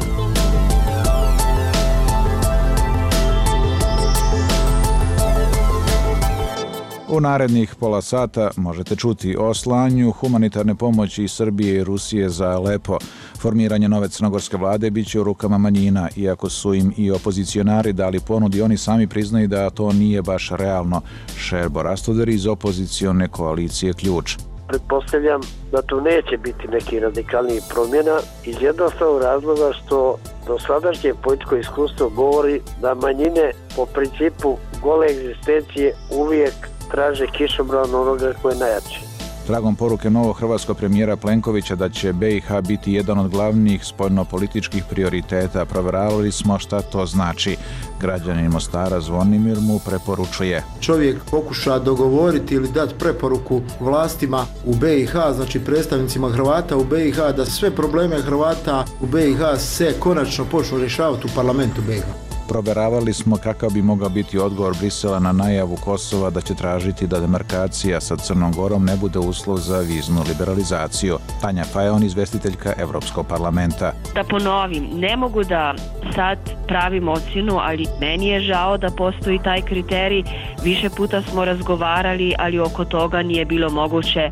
U narednih pola sata možete čuti o slanju humanitarne pomoći iz Srbije i Rusije za Alepo. Formiranje nove crnogorske vlade biće u rukama manjina, iako su im i opozicionari dali ponudi, oni sami priznaju da to nije baš realno. Šerbo Rastoder iz opozicione koalicije Ključ. Pretpostavljam da tu neće biti neki radikalnijih promjena iz jednostavnog razloga što dosadašnje političko iskustvo govori da manjine po principu gole egzistencije uvijek traže kišobran onoga koji je najjači. Tragom poruke novog hrvatskog premijera Plenkovića da će BiH biti jedan od glavnih spoljnopolitičkih prioriteta, provjeravali smo šta to znači. Građanin Mostara Zvonimir mu preporučuje. Čovjek pokuša dogovoriti ili dati preporuku vlastima u BiH, znači predstavnicima Hrvata u BiH, da sve probleme Hrvata u BiH se konačno počnu rješavati u parlamentu BiH. Provjeravali smo kakav bi mogao biti odgovor Brisela na najavu Kosova da će tražiti da demarkacija sa Crnom Gorom ne bude uslov za viznu liberalizaciju. Tanja Fajon, izvestiteljka Evropskog parlamenta. Da ponovim, ne mogu da sad pravim ocjenu, ali meni je žao da postoji taj kriterij. Više puta smo razgovarali, ali oko toga nije bilo moguće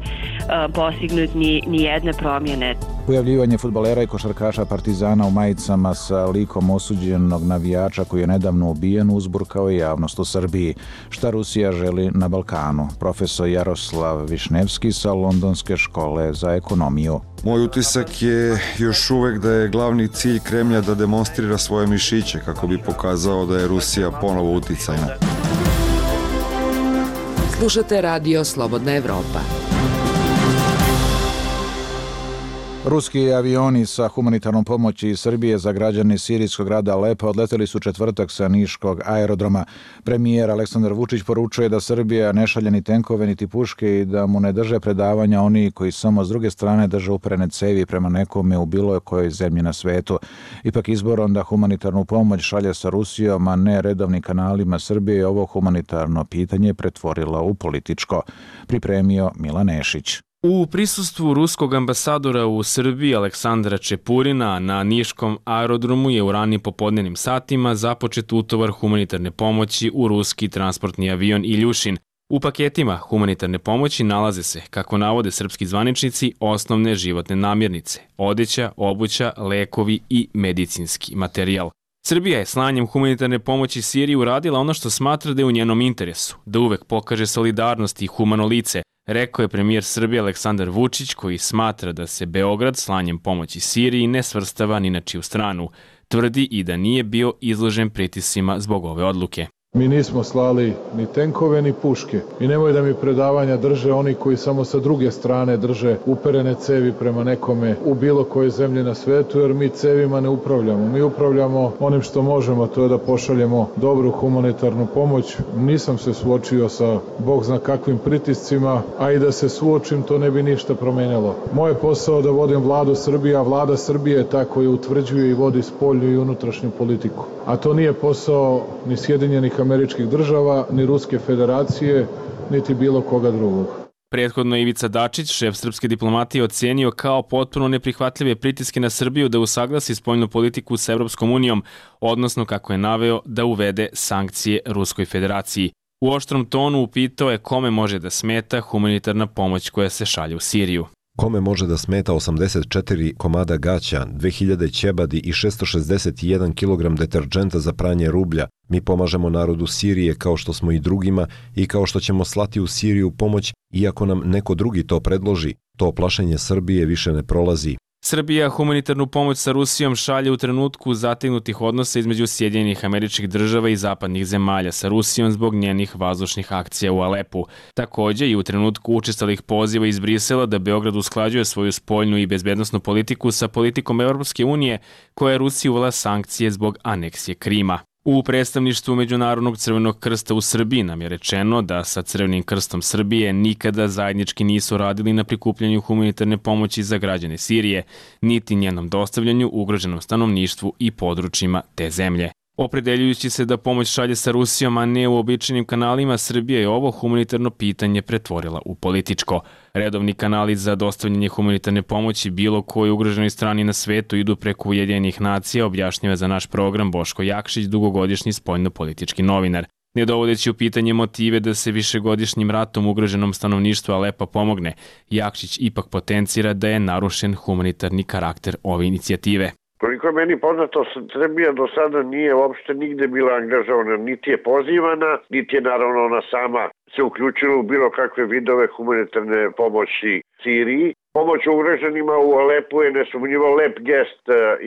postignuti ni jedne promjene. Pojavljivanje fudbalera i košarkaša Partizana u majicama sa likom osuđenog navijača koji je nedavno ubijen uzburkao je javnost u Srbiji. Šta Rusija želi na Balkanu? Profesor Jaroslav Višnevski sa Londonske škole za ekonomiju. Moj utisak je još uvek da je glavni cilj Kremlja da demonstrira svoje mišiće kako bi pokazao da je Rusija ponovo uticajna. Slušate Radio Slobodna Evropa. Ruski avioni sa humanitarnom pomoći iz Srbije za građane sirijskog grada Alepa odleteli su četvrtak sa niškog aerodroma. Premijer Aleksandar Vučić poručuje da Srbija ne šalje ni tenkove niti puške i da mu ne drže predavanja oni koji samo s druge strane drže uperene cevi prema nekome u bilo kojoj zemlji na svetu. Ipak izborom da humanitarnu pomoć šalje sa Rusijom, a ne redovnim kanalima Srbije, ovo humanitarno pitanje pretvorilo u političko. Pripremio Milan Nešić. U prisustvu ruskog ambasadora u Srbiji Aleksandra Čepurina na niškom aerodromu je u ranim popodnevnim satima započet utovar humanitarne pomoći u ruski transportni avion Iljušin. U paketima humanitarne pomoći nalaze se, kako navode srpski zvaničnici, osnovne životne namirnice, odeća, obuća, lekovi i medicinski materijal. Srbija je slanjem humanitarne pomoći Siriji uradila ono što smatra da je u njenom interesu, da uvek pokaže solidarnost i humano lice, rekao je premijer Srbije Aleksandar Vučić, koji smatra da se Beograd slanjem pomoći Siriji ne svrstava ni na čiju stranu. Tvrdi i da nije bio izložen pritiscima zbog ove odluke. Mi nismo slali ni tenkove ni puške i nemoj da mi predavanja drže oni koji samo sa druge strane drže uperene cevi prema nekome u bilo kojoj zemlji na svetu, jer mi cevima ne upravljamo. Mi upravljamo onim što možemo, to je da pošaljemo dobru humanitarnu pomoć. Nisam se suočio sa Bog zna kakvim pritiscima, a i da se suočim to ne bi ništa promenilo. Moj posao da vodim vladu Srbije, a vlada Srbije je ta koja utvrđuje i vodi spoljnu i unutrašnju politiku. A to nije posao ni Sjedinjenih Američkih država, ni Ruske federacije, niti bilo koga drugog. Prethodno Ivica Dačić, šef srpske diplomatije, ocenio kao potpuno neprihvatljive pritiske na Srbiju da usaglasi spoljnu politiku s Evropskom unijom, odnosno, kako je naveo, da uvede sankcije Ruskoj federaciji. U oštrom tonu upitao je kome može da smeta humanitarna pomoć koja se šalje u Siriju. Kome može da smeta 84 komada gaća, 2000 ćebadi i 661 kg deterđenta za pranje rublja? Mi pomažemo narodu Sirije kao što smo i drugima i kao što ćemo slati u Siriju pomoć iako nam neko drugi to predloži. To plašenje Srbije više ne prolazi. Srbija humanitarnu pomoć sa Rusijom šalje u trenutku zategnutih odnosa između Sjedinjenih Američkih Država i zapadnih zemalja sa Rusijom zbog njenih vazdušnih akcija u Alepu. Takođe i u trenutku učestalih poziva iz Brisela da Beograd usklađuje svoju spoljnu i bezbednosnu politiku sa politikom Evropske unije koja je Rusiji uvela sankcije zbog aneksije Krima. U predstavništvu Međunarodnog crvenog krsta u Srbiji nam je rečeno da sa Crvenim krstom Srbije nikada zajednički nisu radili na prikupljanju humanitarne pomoći za građane Sirije, niti njenom dostavljanju ugroženom stanovništvu i područjima te zemlje. Opredeljujući se da pomoć šalje sa Rusijom, a ne u običajnim kanalima, Srbija je ovo humanitarno pitanje pretvorila u političko. Redovni kanali za dostavljanje humanitarne pomoći bilo kojoj ugroženoj strani na svetu idu preko Ujedinjenih nacija, objašnjava za naš program Boško Jakšić, dugogodišnji spoljnopolitički novinar. Ne dovodeći u pitanje motive da se višegodišnjim ratom ugroženom stanovništvu Alepa pomogne, Jakšić ipak potencira da je narušen humanitarni karakter ove inicijative. Koliko je meni poznato, Srbija do sada nije uopšte nigde bila angažovana, niti je pozivana, niti je naravno ona sama se uključila u bilo kakve vidove humanitarne pomoći Siriji. Pomoć ugroženima u Alepu je nesumnjivo lep gest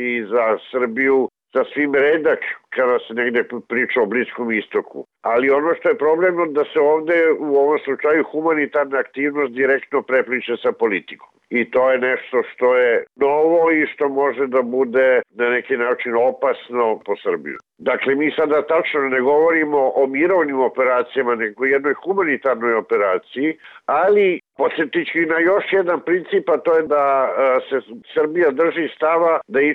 i za Srbiju, za svim redak kada se negde priča o Bliskom istoku. Ali ono što je problem da se ovde u ovom slučaju humanitarna aktivnost direktno prepliče sa politikom. I to je nešto što je novo i što može da bude na neki način opasno po Srbiju. Dakle, mi sada tačno ne govorimo o mirovnim operacijama, nego jednoj humanitarnoj operaciji, ali podsjetići na još jedan princip, a to je da se Srbija drži stava da i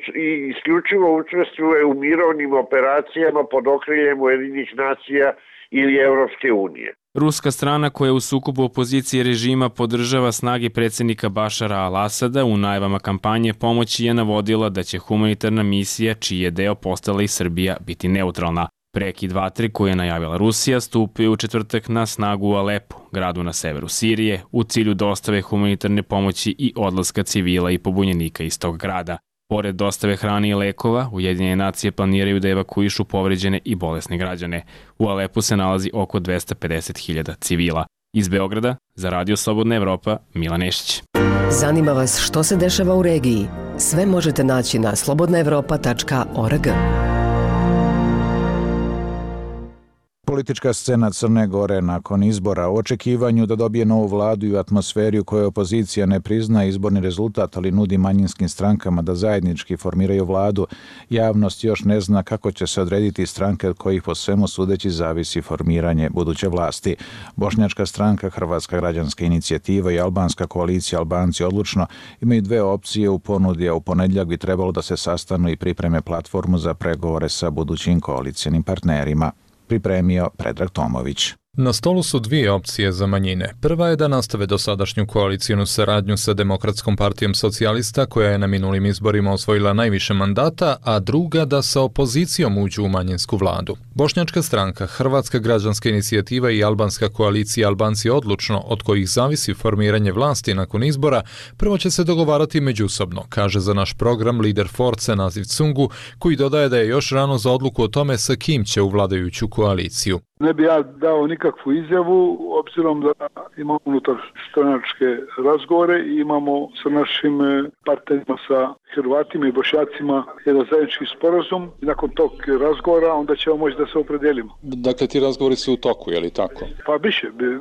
isključivo učestvuje u mirovnim operacijama pod okriljem Ujedinjenih nacija ili Evropske unije. Ruska strana koja u sukobu opozicije režima podržava snage predsjednika Bašara al-Asada u najavama kampanje pomoći je navodila da će humanitarna misija, čiji je deo postala i Srbija, biti neutralna. Prekid vatre koje je najavila Rusija stupio u četvrtak na snagu u Alepu, gradu na severu Sirije, u cilju dostave humanitarne pomoći i odlaska civila i pobunjenika iz tog grada. Pored dostave hrane i lekova, Ujedinjene nacije planiraju da evakuišu povređene i bolesne građane. U Alepu se nalazi oko 250.000 civila. Iz Beograda, za Radio Slobodna Evropa, Milan Nešić. Zanima vas što se dešava u regiji? Sve možete naći na slobodnaevropa.org. Politička scena Crne Gore nakon izbora u očekivanju da dobije novu vladu i u atmosferi u kojoj opozicija ne prizna izborni rezultat, ali nudi manjinskim strankama da zajednički formiraju vladu, javnost još ne zna kako će se odrediti stranke od kojih po svemu sudeći zavisi formiranje buduće vlasti. Bošnjačka stranka, Hrvatska građanska inicijativa i albanska koalicija Albanci odlučno imaju dve opcije u ponudi, a u ponedjeljak bi trebalo da se sastanu i pripreme platformu za pregovore sa budućim koalicijnim partnerima. Pripremio Predrag Tomović. Na stolu su dvije opcije za manjine. Prva je da nastave dosadašnju koalicijnu saradnju sa Demokratskom partijom socijalista, koja je na minulim izborima osvojila najviše mandata, a druga da sa opozicijom uđu u manjinsku vladu. Bošnjačka stranka, Hrvatska građanska inicijativa i albanska koalicija Albanci odlučno, od kojih zavisi formiranje vlasti nakon izbora, prvo će se dogovarati međusobno, kaže za naš program lider Force Naziv Cungu, koji dodaje da je još rano za odluku o tome sa kim će u vladajuću koaliciju. Ne bi ja dao nikakvu izjavu, obzirom da imamo unutar stranačke razgovore i imamo sa našim partnerima, sa Hrvatima i Bošnjacima, jedan zajednički sporazum. I nakon tog razgovora onda ćemo moći da se opredelimo. Dakle, ti razgovori su u toku, je li tako? Pa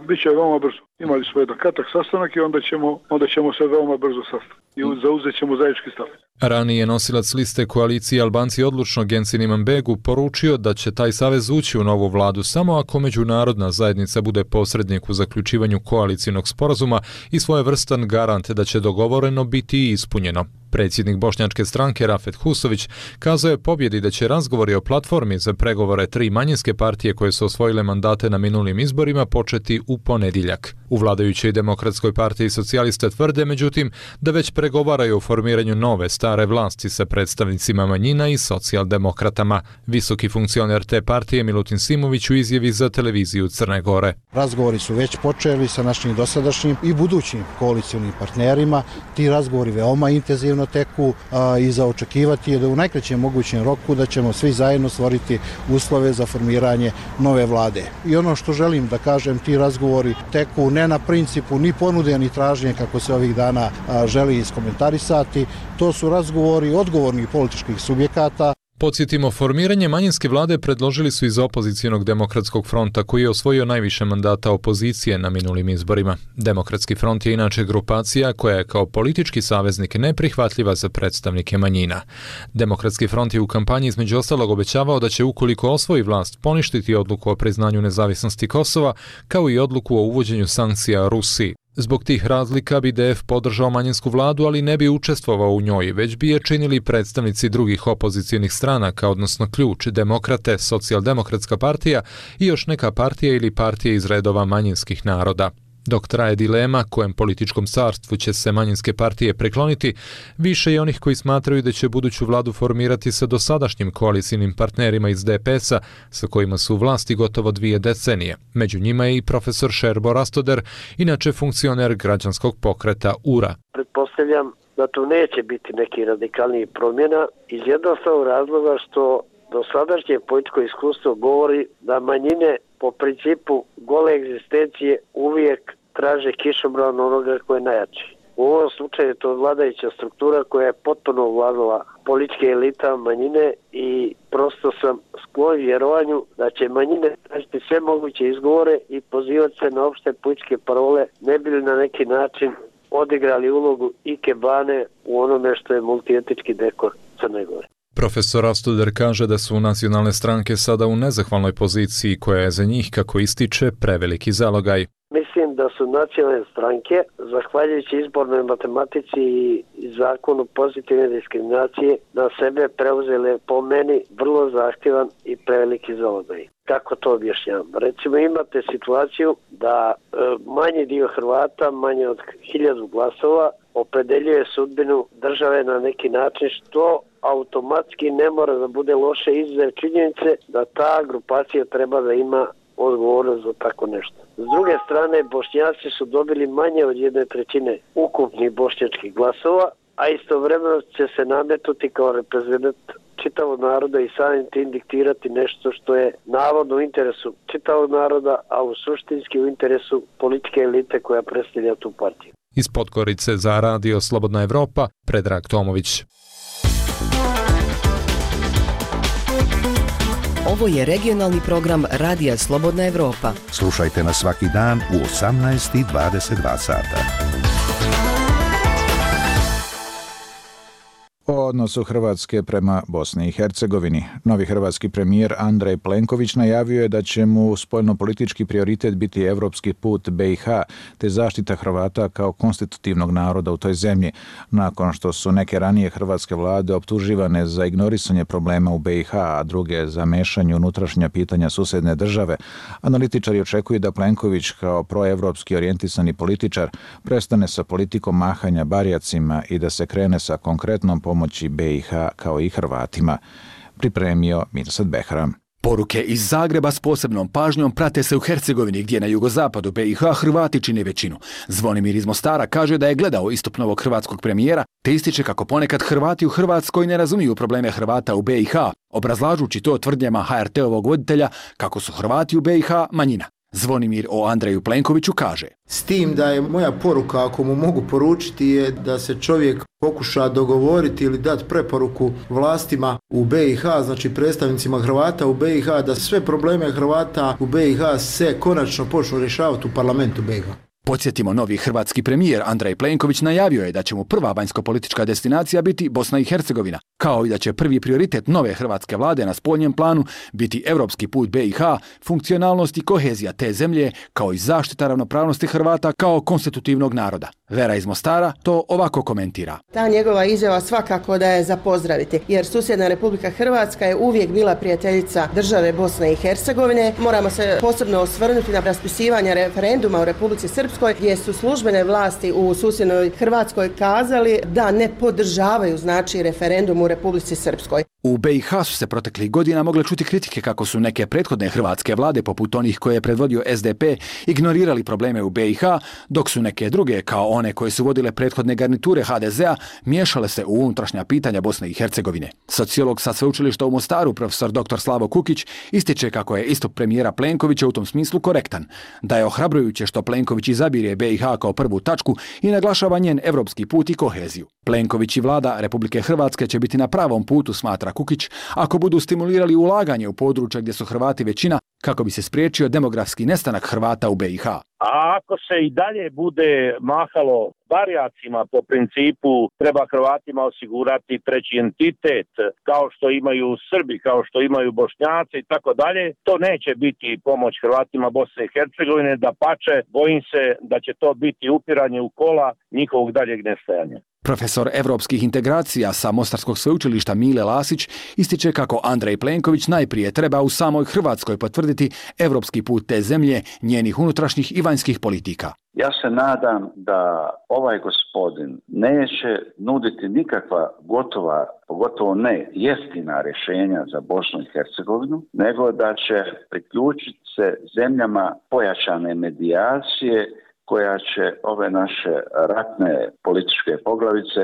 biće veoma brzo. Imali smo jedan kratak sastanak i onda ćemo se veoma brzo sastati. I zauzet ćemo zajednički stav. Ranije nosilac liste koalicije Albanci odlučno Gensin Imanbegu poručio da će taj savez ući u novu vladu samo ako međunarodna zajednica bude posrednik u zaključivanju koalicijnog sporazuma i svojevrstan garant da će dogovoreno biti ispunjeno. Predsjednik bošnjačke stranke Rafet Husović kazao je pobjedi da će razgovori o platformi za pregovore 3 manjinske partije koje su osvojile mandate na minulim izborima početi u ponedjeljak. U vladajućoj Demokratskoj partiji socijalista tvrde, međutim, da već pregovaraju o formiranju nove stare vlasti sa predstavnicima manjina i socijaldemokratama. Visoki funkcioner te partije Milutin Simović u izjavi za televiziju Crne Gore. Razgovori su već počeli sa našim dosadašnjim i budućim koalicionim partnerima. Ti razgovori veoma intenzivno teku i za očekivati je da u najkraćem mogućem roku da ćemo svi zajedno stvoriti uslove za formiranje nove vlade. I ono što želim da kažem, ti razgovori teku ne na principu ni ponude ni tražnje kako se ovih dana želi iskomentarisati. To su razgovori odgovornih političkih subjekata. Podsjetimo, formiranje manjinske vlade predložili su iz opozicionog Demokratskog fronta koji je osvojio najviše mandata opozicije na minulim izborima. Demokratski front je inače grupacija koja je kao politički saveznik neprihvatljiva za predstavnike manjina. Demokratski front je u kampanji između ostalog obećavao da će ukoliko osvoji vlast poništiti odluku o priznanju nezavisnosti Kosova kao i odluku o uvođenju sankcija Rusiji. Zbog tih razlika bi DF podržao manjinsku vladu, ali ne bi učestvovao u njoj, već bi je činili predstavnici drugih opozicionih stranaka, odnosno Ključ, Demokrate, Socijaldemokratska partija i još neka partija ili partije iz redova manjinskih naroda. Dok traje dilema kojem političkom carstvu će se manjinske partije prekloniti, više je onih koji smatraju da će buduću vladu formirati sa dosadašnjim koalicijnim partnerima iz DPS-a, sa kojima su u vlasti gotovo 2 decenije. Među njima je i profesor Šerbo Rastoder, inače funkcioner građanskog pokreta URA. Pretpostavljam da tu neće biti neki radikalniji promjena iz jednostavnog razloga što dosadašnje političko iskustvo govori da manjine po principu gole egzistencije uvijek traže kišobran onoga koje je najjači. U ovom slučaju je to vladajuća struktura koja je potpuno ovladala političke elita manjine i prosto sam sklon vjerovanju da će manjine tražiti sve moguće izgovore i pozivati se na opšte političke parole, ne bi li na neki način odigrali ulogu ikebane u onome što je multietički dekor Crne Gore. Profesor Rastoder kaže da su nacionalne stranke sada u nezahvalnoj poziciji koja je za njih, kako ističe, preveliki zalogaj. Mislim da su nacionalne stranke, zahvaljujući izbornoj matematici i zakonu pozitivne diskriminacije, na sebe preuzele po meni vrlo zahtjevan i preveliki zalogaj. Kako to objašnjam? Recimo imate situaciju da manji dio Hrvata, manje od 1000 glasova, opredeljuje sudbinu države na neki način što automatski ne mora da bude loše izuzev činjenice da ta grupacija treba da ima odgovornost za tako nešto. S druge strane, Bošnjaci su dobili manje od 1/3 ukupnih bošnjačkih glasova, a istovremeno će se nametnuti kao reprezentant čitavog naroda i samim tim diktirati nešto što je navodno u interesu čitavog naroda, a u suštinski u interesu političke elite koja predstavlja tu partiju. Iz Podgorice za Radio Slobodna Evropa, Predrag Tomović. Ovo je regionalni program Radija Slobodna Evropa. Slušajte nas svaki dan u 18:22 sata. O odnosu Hrvatske prema Bosni i Hercegovini. Novi hrvatski premijer Andrej Plenković najavio je da će mu spoljnopolitički prioritet biti evropski put BiH te zaštita Hrvata kao konstitutivnog naroda u toj zemlji, nakon što su neke ranije hrvatske vlade optuživane za ignorisanje problema u BiH, a druge za mešanje unutrašnja pitanja susedne države. Analitičari očekuju da Plenković kao proevropski orijentisani političar prestane sa politikom mahanja barjacima i da se krene sa konkretnom pomoći BiH kao i Hrvatima. Pripremio Mirsad Behram. Poruke iz Zagreba s posebnom pažnjom prate se u Hercegovini, gdje na jugozapadu BiH Hrvati čine većinu. Zvonimir iz Mostara kaže da je gledao istup novog hrvatskog premijera, te ističe kako ponekad Hrvati u Hrvatskoj ne razumiju probleme Hrvata u BiH, obrazlažući to tvrdnjama HRT-ovog voditelja kako su Hrvati u BiH manjina. Zvonimir o Andreju Plenkoviću kaže: S tim da je moja poruka, ako mu mogu poručiti, je da se čovjek pokuša dogovoriti ili dati preporuku vlastima u BiH, znači predstavnicima Hrvata u BiH, da sve probleme Hrvata u BiH se konačno počnu rješavati u parlamentu BiH. Podsjetimo, novi hrvatski premijer Andrej Plenković najavio je da će mu prva vanjsko-politička destinacija biti Bosna i Hercegovina, kao i da će prvi prioritet nove hrvatske vlade na spoljnjem planu biti evropski put BiH, funkcionalnost i kohezija te zemlje, kao i zaštita ravnopravnosti Hrvata kao konstitutivnog naroda. Vera iz Mostara to ovako komentira. Ta njegova izjava svakako da je za pozdraviti, jer susjedna Republika Hrvatska je uvijek bila prijateljica države Bosne i Hercegovine. Moramo se posebno osvrnuti na raspisivanje referenduma u Republici Srpskoj, gdje su službene vlasti u susjednoj Hrvatskoj kazali da ne podržavaju referendum u Republici Srpskoj. U BiH su se proteklih godina mogle čuti kritike kako su neke prethodne hrvatske vlade, poput onih koje je predvodio SDP, ignorirali probleme u BiH, dok su neke druge, kao one koje su vodile prethodne garniture HDZ-a, miješale se u unutrašnja pitanja Bosne i Hercegovine. Sociolog sa sveučilišta u Mostaru, profesor dr. Slavo Kukić, ističe kako je istup premijera Plenkovića u tom smislu korektan, da je ohrabrujuće što Plenković izabire BiH kao prvu tačku i naglašava njen evropski put i koheziju. Plenković i vlada Republike Hrvatske će biti na pravom putu, smatra Kukić, ako budu stimulirali ulaganje u područja gdje su Hrvati većina, kako bi se spriječio demografski nestanak Hrvata u BiH. A ako se i dalje bude mahalo barjacima po principu treba Hrvatima osigurati treći entitet, kao što imaju Srbi, kao što imaju Bošnjaci i tako dalje, to neće biti pomoć Hrvatima Bosne i Hercegovine, dapače, bojim se da će to biti upiranje u kola njihovog daljeg nestajanja. Profesor evropskih integracija sa Mostarskog sveučilišta Mile Lasić ističe kako Andrej Plenković najprije treba u samoj Hrvatskoj potvrditi evropski put te zemlje, njenih unutrašnjih i vanjskih politika. Ja se nadam da ovaj gospodin neće nuditi nikakva gotova, pogotovo ne jeftina rješenja za Bosnu i Hercegovinu, nego da će priključiti se zemljama pojačane medijacije koja će ove naše ratne političke poglavice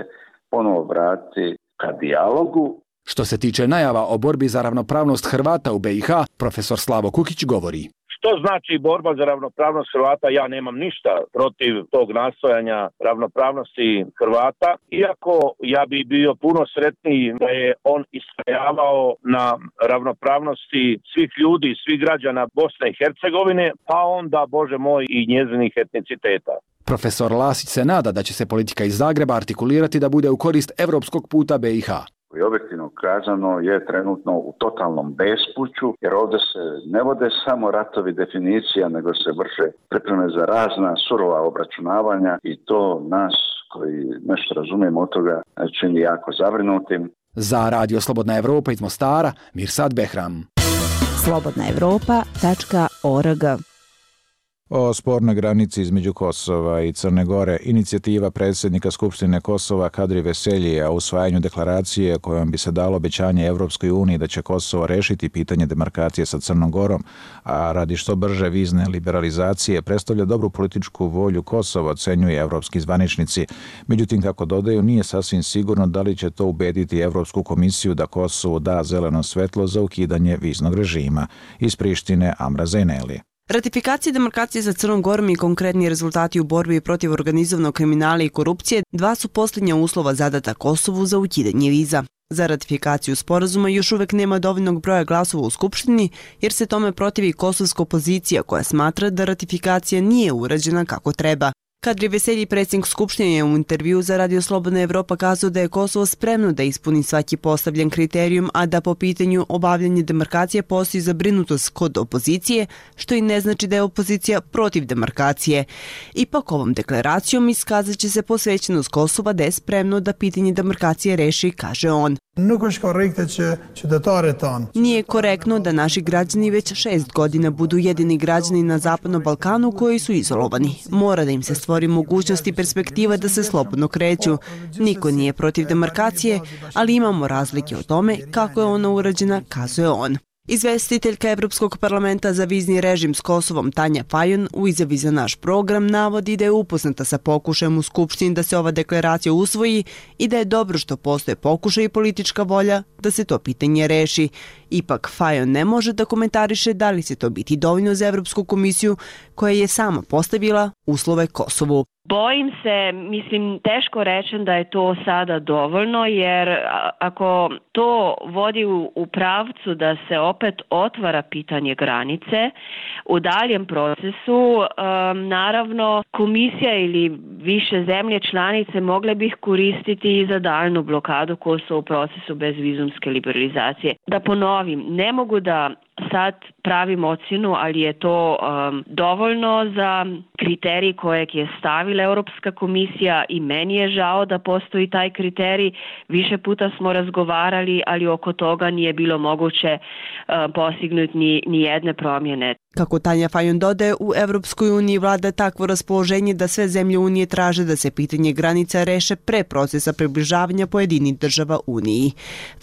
ponovo vratiti ka dijalogu. Što se tiče najava o borbi za ravnopravnost Hrvata u BiH, profesor Slavo Kukić govori. Što znači borba za ravnopravnost Hrvata? Ja nemam ništa protiv tog nastojanja ravnopravnosti Hrvata, iako ja bi bio puno sretniji da je on istrajavao na ravnopravnosti svih ljudi, svih građana Bosne i Hercegovine, pa onda, Bože moj, i njezinih etniciteta. Profesor Lasić se nada da će se politika iz Zagreba artikulirati da bude u korist evropskog puta BiH. I objektivno kazano je trenutno u totalnom bespuću, jer ovdje se ne vode samo ratovi definicija, nego se vrše pripreme za razna surova obračunavanja i to nas koji nešto razumijemo od toga čini jako zabrinutim. Za Radio Slobodna Evropa iz Mostara, Mirsad Behram. slobodnaevropa.org. O spornoj granici između Kosova i Crne Gore, inicijativa predsjednika Skupštine Kosova Kadri Veseljija o usvajanju deklaracije kojom bi se dalo obećanje Evropskoj uniji da će Kosovo rešiti pitanje demarkacije sa Crnom Gorom, a radi što brže vizne liberalizacije predstavlja dobru političku volju Kosova, ocenjuju evropski zvaničnici. Međutim, kako dodaju, nije sasvim sigurno da li će to ubediti Evropsku komisiju da Kosovo da zeleno svetlo za ukidanje viznog režima. Iz Prištine, Amra Zajneli. Ratifikacija demarkacije sa Crnom Gorom i konkretni rezultati u borbi protiv organizovanog kriminala i korupcije dva su posljednja uslova zadata Kosovu za ukidanje viza. Za ratifikaciju sporazuma još uvek nema dovoljnog broja glasova u Skupštini jer se tome protivi kosovska opozicija koja smatra da ratifikacija nije urađena kako treba. Kadri Veselji, predsjednik Skupštine, je u intervju za Radio Slobodna Evropa kazao da je Kosovo spremno da ispuni svaki postavljen kriterijum, a da po pitanju obavljanja demarkacije postoji zabrinutost kod opozicije, što i ne znači da je opozicija protiv demarkacije. Ipak ovom deklaracijom iskazat će se posvećenost Kosova da je spremno da pitanje demarkacije reši, kaže on. Nije korektno da naši građani već 6 godina budu jedini građani na Zapadnom Balkanu koji su izolovani. Mora da im se stvori mogućnost i perspektiva da se slobodno kreću. Niko nije protiv demarkacije, ali imamo razlike o tome kako je ona urađena, kazuje on. Izvestiteljka Evropskog parlamenta za vizni režim s Kosovom Tanja Fajon u izjavi za naš program navodi da je upoznata sa pokušajem u Skupštini da se ova deklaracija usvoji i da je dobro što postoje pokušaj i politička volja da se to pitanje reši. Ipak Fajon ne može da komentariše da li će to biti dovoljno za Evropsku komisiju koja je sama postavila uslove Kosovu. Bojim se, teško rečem da je to sada dovoljno, jer ako to vodi u pravcu da se opet otvara pitanje granice, u daljem procesu, naravno, komisija ili više zemlje članice mogle bi ih koristiti i za daljnu blokadu Kosova u procesu bezvizumske liberalizacije. Da ponovim, ne mogu da sad pravim ocjenu, ali je to dovoljno za kriterij kojeg je stavila Europska komisija i meni je žao da postoji taj kriterij. Više puta smo razgovarali, ali oko toga nije bilo moguće postignuti ni jedne promjene. Kako Tanja Fajon dodaje, u Evropskoj uniji vlada takvo raspoloženje da sve zemlje Unije traže da se pitanje granica reše pre procesa približavanja pojedinih država Uniji.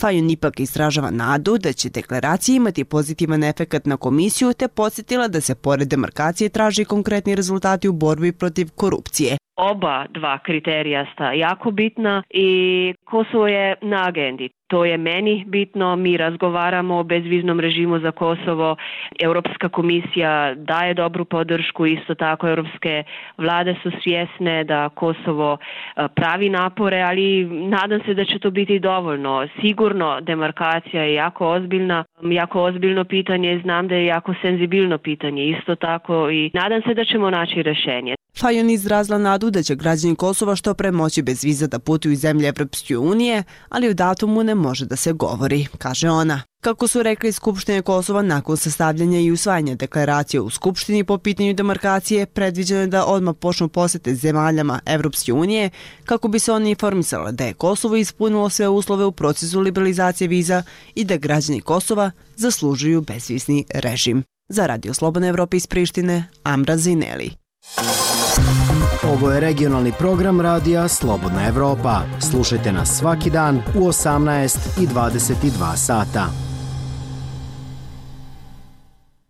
Fajon ipak izražava nadu da će deklaracija imati pozitivan efekat na komisiju, te podsjetila da se pored demarkacije traži konkretni rezultati u borbi protiv korupcije. Oba dva kriterija sta jako bitna i Kosovo je na agendi. To je meni bitno, mi razgovaramo o bezviznom režimu za Kosovo, Europska komisija daje dobru podršku, isto tako europske vlade su svjesne da Kosovo pravi napore, ali nadam se da će to biti dovoljno. Sigurno demarkacija je jako ozbiljno pitanje i znam da je jako senzibilno pitanje isto tako i nadam se da ćemo naći rješenje. Fajon izrazila nadu da će građani Kosova što pre moći bez viza da putuju iz zemlje Evropske unije, ali o datumu ne može da se govori, kaže ona. Kako su rekli Skupštine Kosova, nakon sastavljanja i usvajanja deklaracije u Skupštini po pitanju demarkacije, predviđeno je da odmah počnu posete zemaljama Evropske unije kako bi se oni informisali da je Kosovo ispunilo sve uslove u procesu liberalizacije viza i da građani Kosova zaslužuju bezvizni režim. Za Radio Slobodna Evropa iz Prištine, Amra Zineli. Ovo je regionalni program radija Slobodna Evropa. Slušajte nas svaki dan u 18 i 22 sata.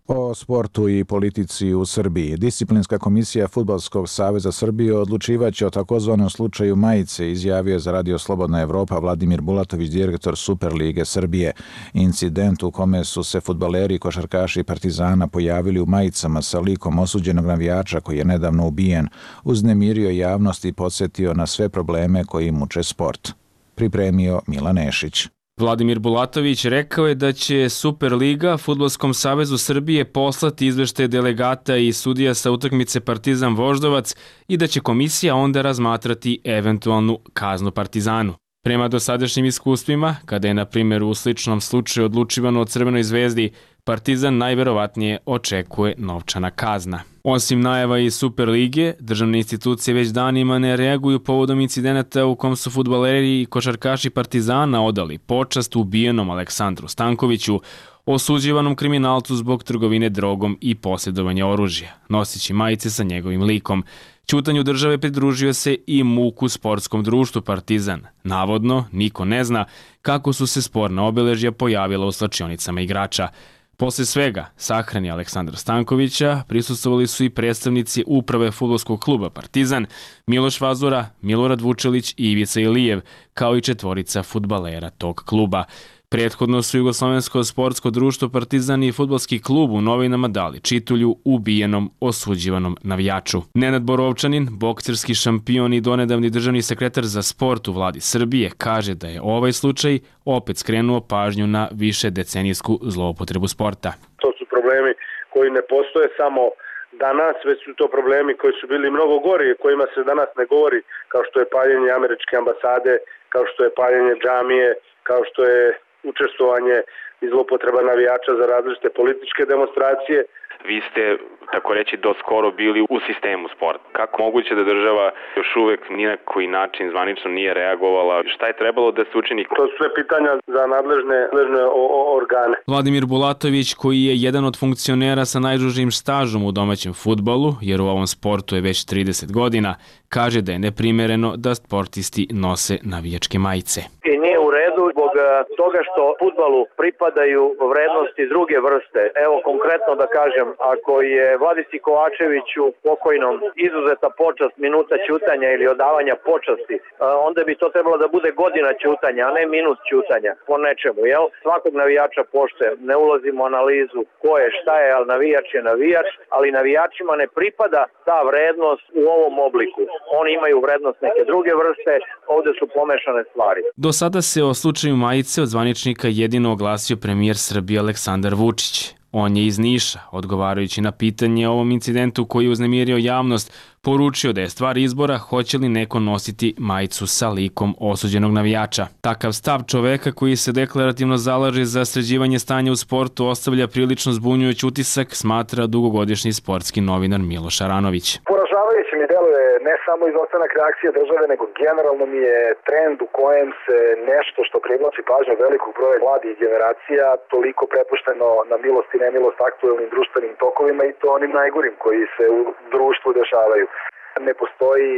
O sportu i politici u Srbiji. Disciplinska komisija Fudbalskog saveza Srbije odlučivaće o takozvanom slučaju majice, izjavio za Radio Slobodna Evropa Vladimir Bulatović, direktor Superlige Srbije. Incident u kome su se fudbaleri i košarkaši Partizana pojavili u majicama sa likom osuđenog navijača koji je nedavno ubijen, uznemirio javnost i podsjetio na sve probleme koji muče sport. Pripremio Milan Nešić. Vladimir Bulatović rekao je da će Superliga Fudbalskom savezu Srbije poslati izveštaje delegata i sudija sa utakmice Partizan Voždovac i da će komisija onda razmatrati eventualnu kaznu Partizanu. Prema dosadašnjim iskustvima, kada je na primjer u sličnom slučaju odlučivano o Crvenoj zvezdi, Partizan najverovatnije očekuje novčana kazna. Osim najava iz Superlige, državne institucije već danima ne reaguju povodom incidenata u kom su fudbaleri i košarkaši Partizana odali počast ubijenom Aleksandru Stankoviću, osuđivanom kriminalcu zbog trgovine drogom i posjedovanja oružja, nosići majice sa njegovim likom. Ćutanju države pridružio se i MUK-u sportskom društvu Partizan. Navodno, niko ne zna kako su se sporna obeležja pojavila u slačionicama igrača. Posle svega, sahrani Aleksandra Stankovića prisustvovali su i predstavnici uprave fudbalskog kluba Partizan, Miloš Vazura, Milorad Vučelić i Ivica Ilijev, kao i 4 fudbalera tog kluba. Prethodno su Jugoslovensko sportsko društvo Partizan i fudbalski klub u novinama dali čitulju ubijenom osuđivanom navijaču. Nenad Borovčanin, bokserski šampion i donedavni državni sekretar za sport u vladi Srbije, kaže da je ovaj slučaj opet skrenuo pažnju na više decenijsku zloupotrebu sporta. To su problemi koji ne postoje samo danas, već su to problemi koji su bili mnogo gori, kojima se danas ne govori, kao što je paljenje američke ambasade, kao što je paljenje džamije, kao što je učestvovanje i zlopotreba navijača za različite političke demonstracije. Vi ste, tako reći, doskoro bili u sistemu sporta. Kako moguće da država još uvek ni na koji način zvanično nije reagovala? Šta je trebalo da se učini? To su sve pitanja za nadležne organe. Vladimir Bulatović, koji je jedan od funkcionera sa najdužim stažom u domaćem fudbalu, jer u ovom sportu je već 30 godina, kaže da je neprimereno da sportisti nose navijačke majice. I nije u redu zbog toga što fudbalu pripadaju vrednosti druge vrste. Evo konkretno da kažem, ako je Vladisi Kovačeviću pokojnom izuzeta počast minuta ćutanja ili odavanja počasti, onda bi to trebalo da bude godina ćutanja, a ne minut ćutanja po nečemu, jel? Svakog navijača poštujem, ne ulazimo u analizu ko je, šta je, ali navijač je navijač, ali navijačima ne pripada ta vrednost u ovom obliku. Oni imaju vrednost neke druge vrste, ovde su pomešane stvari. Do sada se o slučaju majice od zvaničnika jedino oglasio premijer Srbije Aleksandar Vučić. On je iz Niša, odgovarajući na pitanje o ovom incidentu koji je uznemirio javnost, poručio da je stvar izbora hoće li neko nositi majicu sa likom osuđenog navijača. Takav stav čoveka koji se deklarativno zalaže za sređivanje stanja u sportu ostavlja prilično zbunjujući utisak, smatra dugogodišnji sportski novinar Miloš Aranović. Poražavajuće mi deluje ne samo izostanak reakcije države, nego generalno mi je trend u kojem se nešto što privlači pažnju velikog broja mladih generacija toliko prepušteno na milost i nemilost aktuelnim društvenim tokovima i to onim najgorim koji se u društvu dešavaju. Ne postoji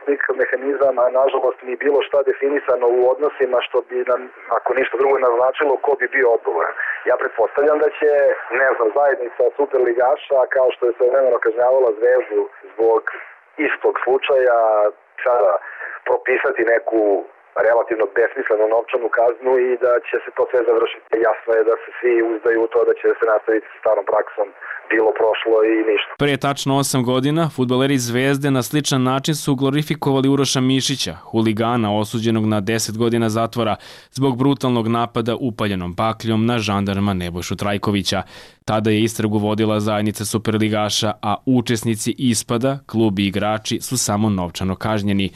nikakav mehanizam, a nažalost ni bilo šta definisano u odnosima što bi nam, ako ništa drugo, naznačilo ko bi bio odgovoran. Ja pretpostavljam da će, zajednica superligaša, kao što je svojevremeno kažnjavala Zvezdu zbog istog slučaja, sada propisati neku relativno besmislenu novčanu kaznu i da će se to sve završiti. Jasno je da se svi uzdaju u to da će se nastaviti sa starom praksom, bilo prošlo i ništa. Pre tačno 8 godina, fudbaleri Zvezde na sličan način su glorifikovali Uroša Mišića, huligana osuđenog na 10 godina zatvora zbog brutalnog napada upaljenom bakljom na žandarma Nebojšu Trajkovića. Tada je istragu vodila zajednica superligaša, a učesnici ispada, klub i igrači su samo novčano kažnjeni.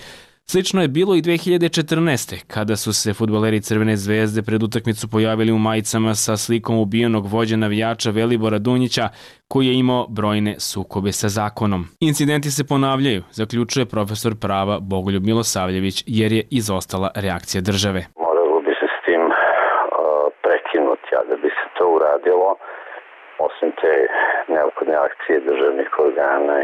Slično je bilo i 2014. kada su se fudbaleri Crvene zvezde pred utakmicu pojavili u majicama sa slikom ubijenog vođa navijača Velibora Dunjića, koji je imao brojne sukobe sa zakonom. Incidenti se ponavljaju, zaključuje profesor prava Bogoljub Milosavljević, jer je izostala reakcija države. Moralo bi se s tim prekinuti, a da bi se to uradilo, osim te neophodne akcije državnih organa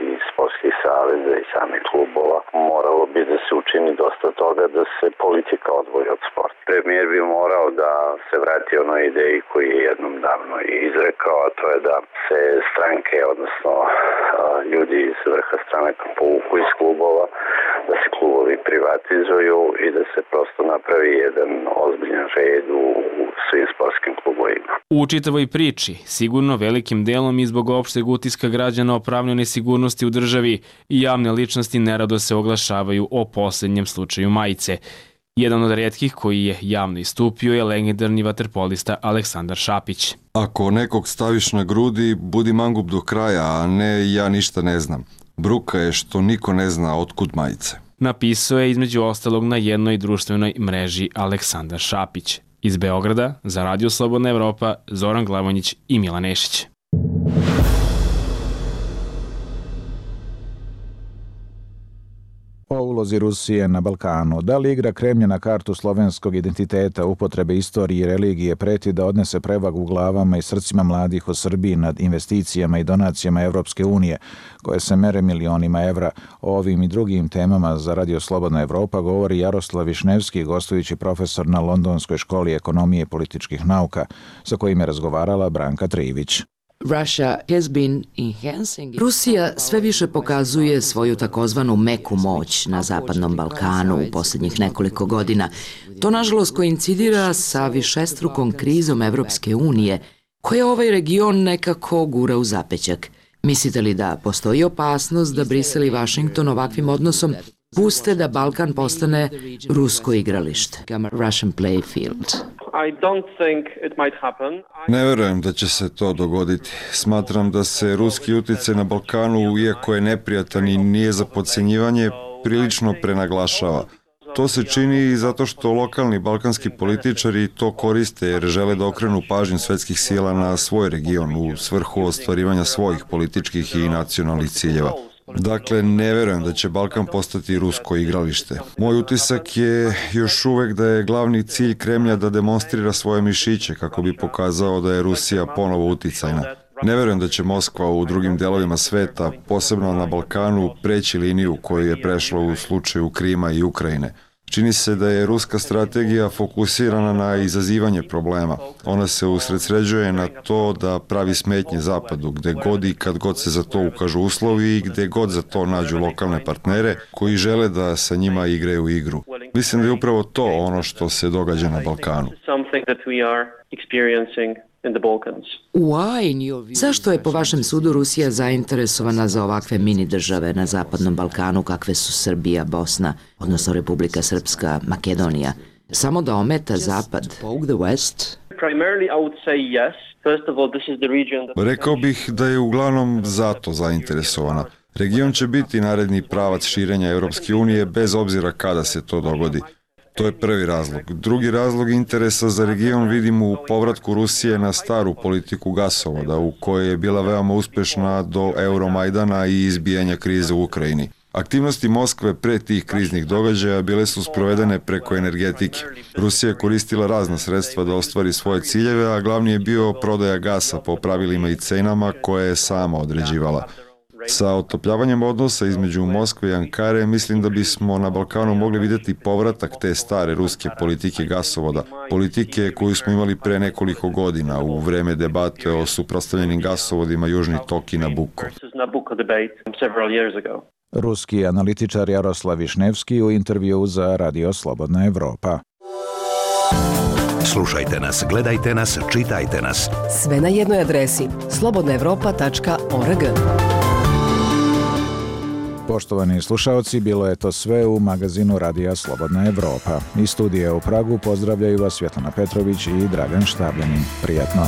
i sportskih saveza i samih klubova, moralo bi da se učini dosta toga da se politika odvoji od sporta. Premijer bi morao da se vrati onoj ideji koji je jednom davno izrekao, a to je da se stranke, odnosno ljudi iz vrha stranaka povuku iz klubova, da se klubovi privatizuju i da se prosto napravi jedan ozbiljan red u svim sportskim klubovima. U čitavoj priči, sigurno velikim delom i zbog opšteg utiska građana o pravnoj nesigurnosti u državi, i javne ličnosti nerado se oglašavaju o posljednjem slučaju majice. Jedan od rijetkih koji je javno istupio je legendarni vaterpolista Aleksandar Šapić. Ako nekog staviš na grudi, budi mangup do kraja, a ne ja ništa ne znam. Bruka je što niko ne zna otkud majice. Napisao je između ostalog na jednoj društvenoj mreži Aleksandar Šapić. Iz Beograda, za Radio Slobodna Evropa, Zoran Glavonjić i Milan Nešić. O ulozi Rusije na Balkanu. Da li igra Kremlja na kartu slovenskog identiteta, upotrebe istorije i religije preti da odnese prevagu u glavama i srcima mladih u Srbiji nad investicijama i donacijama Evropske unije, koje se mere milionima evra? O ovim i drugim temama za Radio Slobodna Evropa govori Jaroslav Višnevski, gostujući profesor na Londonskoj školi ekonomije i političkih nauka, sa kojim je razgovarala Branka Trivić. Rusija sve više pokazuje svoju takozvanu meku moć na Zapadnom Balkanu u posljednjih nekoliko godina. To nažalost koincidira sa višestrukom krizom Evropske unije, koja ovaj region nekako gura u zapećak. Mislite li da postoji opasnost da Brisel i Washington ovakvim odnosom puste da Balkan postane rusko igralište? Russian playfield. Ne verujem da će se to dogoditi. Smatram da se ruski utjecaj na Balkanu, iako je neprijatan i nije za podcjenjivanje, prilično prenaglašava. To se čini i zato što lokalni balkanski političari to koriste jer žele da okrenu pažnju svetskih sila na svoj region u svrhu ostvarivanja svojih političkih i nacionalnih ciljeva. Dakle, ne verujem da će Balkan postati rusko igralište. Moj utisak je još uvek da je glavni cilj Kremlja da demonstrira svoje mišiće kako bi pokazao da je Rusija ponovo uticajna. Ne verujem da će Moskva u drugim delovima sveta, posebno na Balkanu, preći liniju koju je prešla u slučaju Krima i Ukrajine. Čini se da je ruska strategija fokusirana na izazivanje problema. Ona se usredsređuje na to da pravi smetnje Zapadu, gde god i kad god se za to ukažu uslovi i gde god za to nađu lokalne partnere koji žele da sa njima igraju igru. Mislim da je upravo to ono što se događa na Balkanu. Zašto je po vašem sudu Rusija zainteresovana za ovakve mini države na Zapadnom Balkanu kakve su Srbija, Bosna, odnosno Republika Srpska, Makedonija? Samo da ometa Zapad? Rekao bih da je uglavnom zato zainteresovana. Region će biti naredni pravac širenja Europske unije bez obzira kada se to dogodi. To je prvi razlog. Drugi razlog interesa za region vidim u povratku Rusije na staru politiku gasovoda, u kojoj je bila veoma uspešna do Euromajdana i izbijanja krize u Ukrajini. Aktivnosti Moskve pre tih kriznih događaja bile su sprovedene preko energetike. Rusija je koristila razna sredstva da ostvari svoje ciljeve, a glavni je bio prodaja gasa po pravilima i cenama koje je sama određivala. Sa otopljavanjem odnosa između Moskve i Ankare mislim da bismo na Balkanu mogli vidjeti povratak te stare ruske politike gasovoda, politike koju smo imali pre nekoliko godina u vreme debate o suprotstavljenim gasovodima Južni tok i Nabucco. Ruski analitičar Jaroslav Višnevski u intervju za Radio Slobodna Evropa. Slušajte nas, gledajte nas, čitajte nas. Sve na jednoj adresi slobodnaevropa.org. Poštovani slušaoci, bilo je to sve u magazinu Radija Slobodna Evropa. Iz studija u Pragu pozdravljaju vas Svjetlana Petrović i Dragan Štabljanin. Prijatno.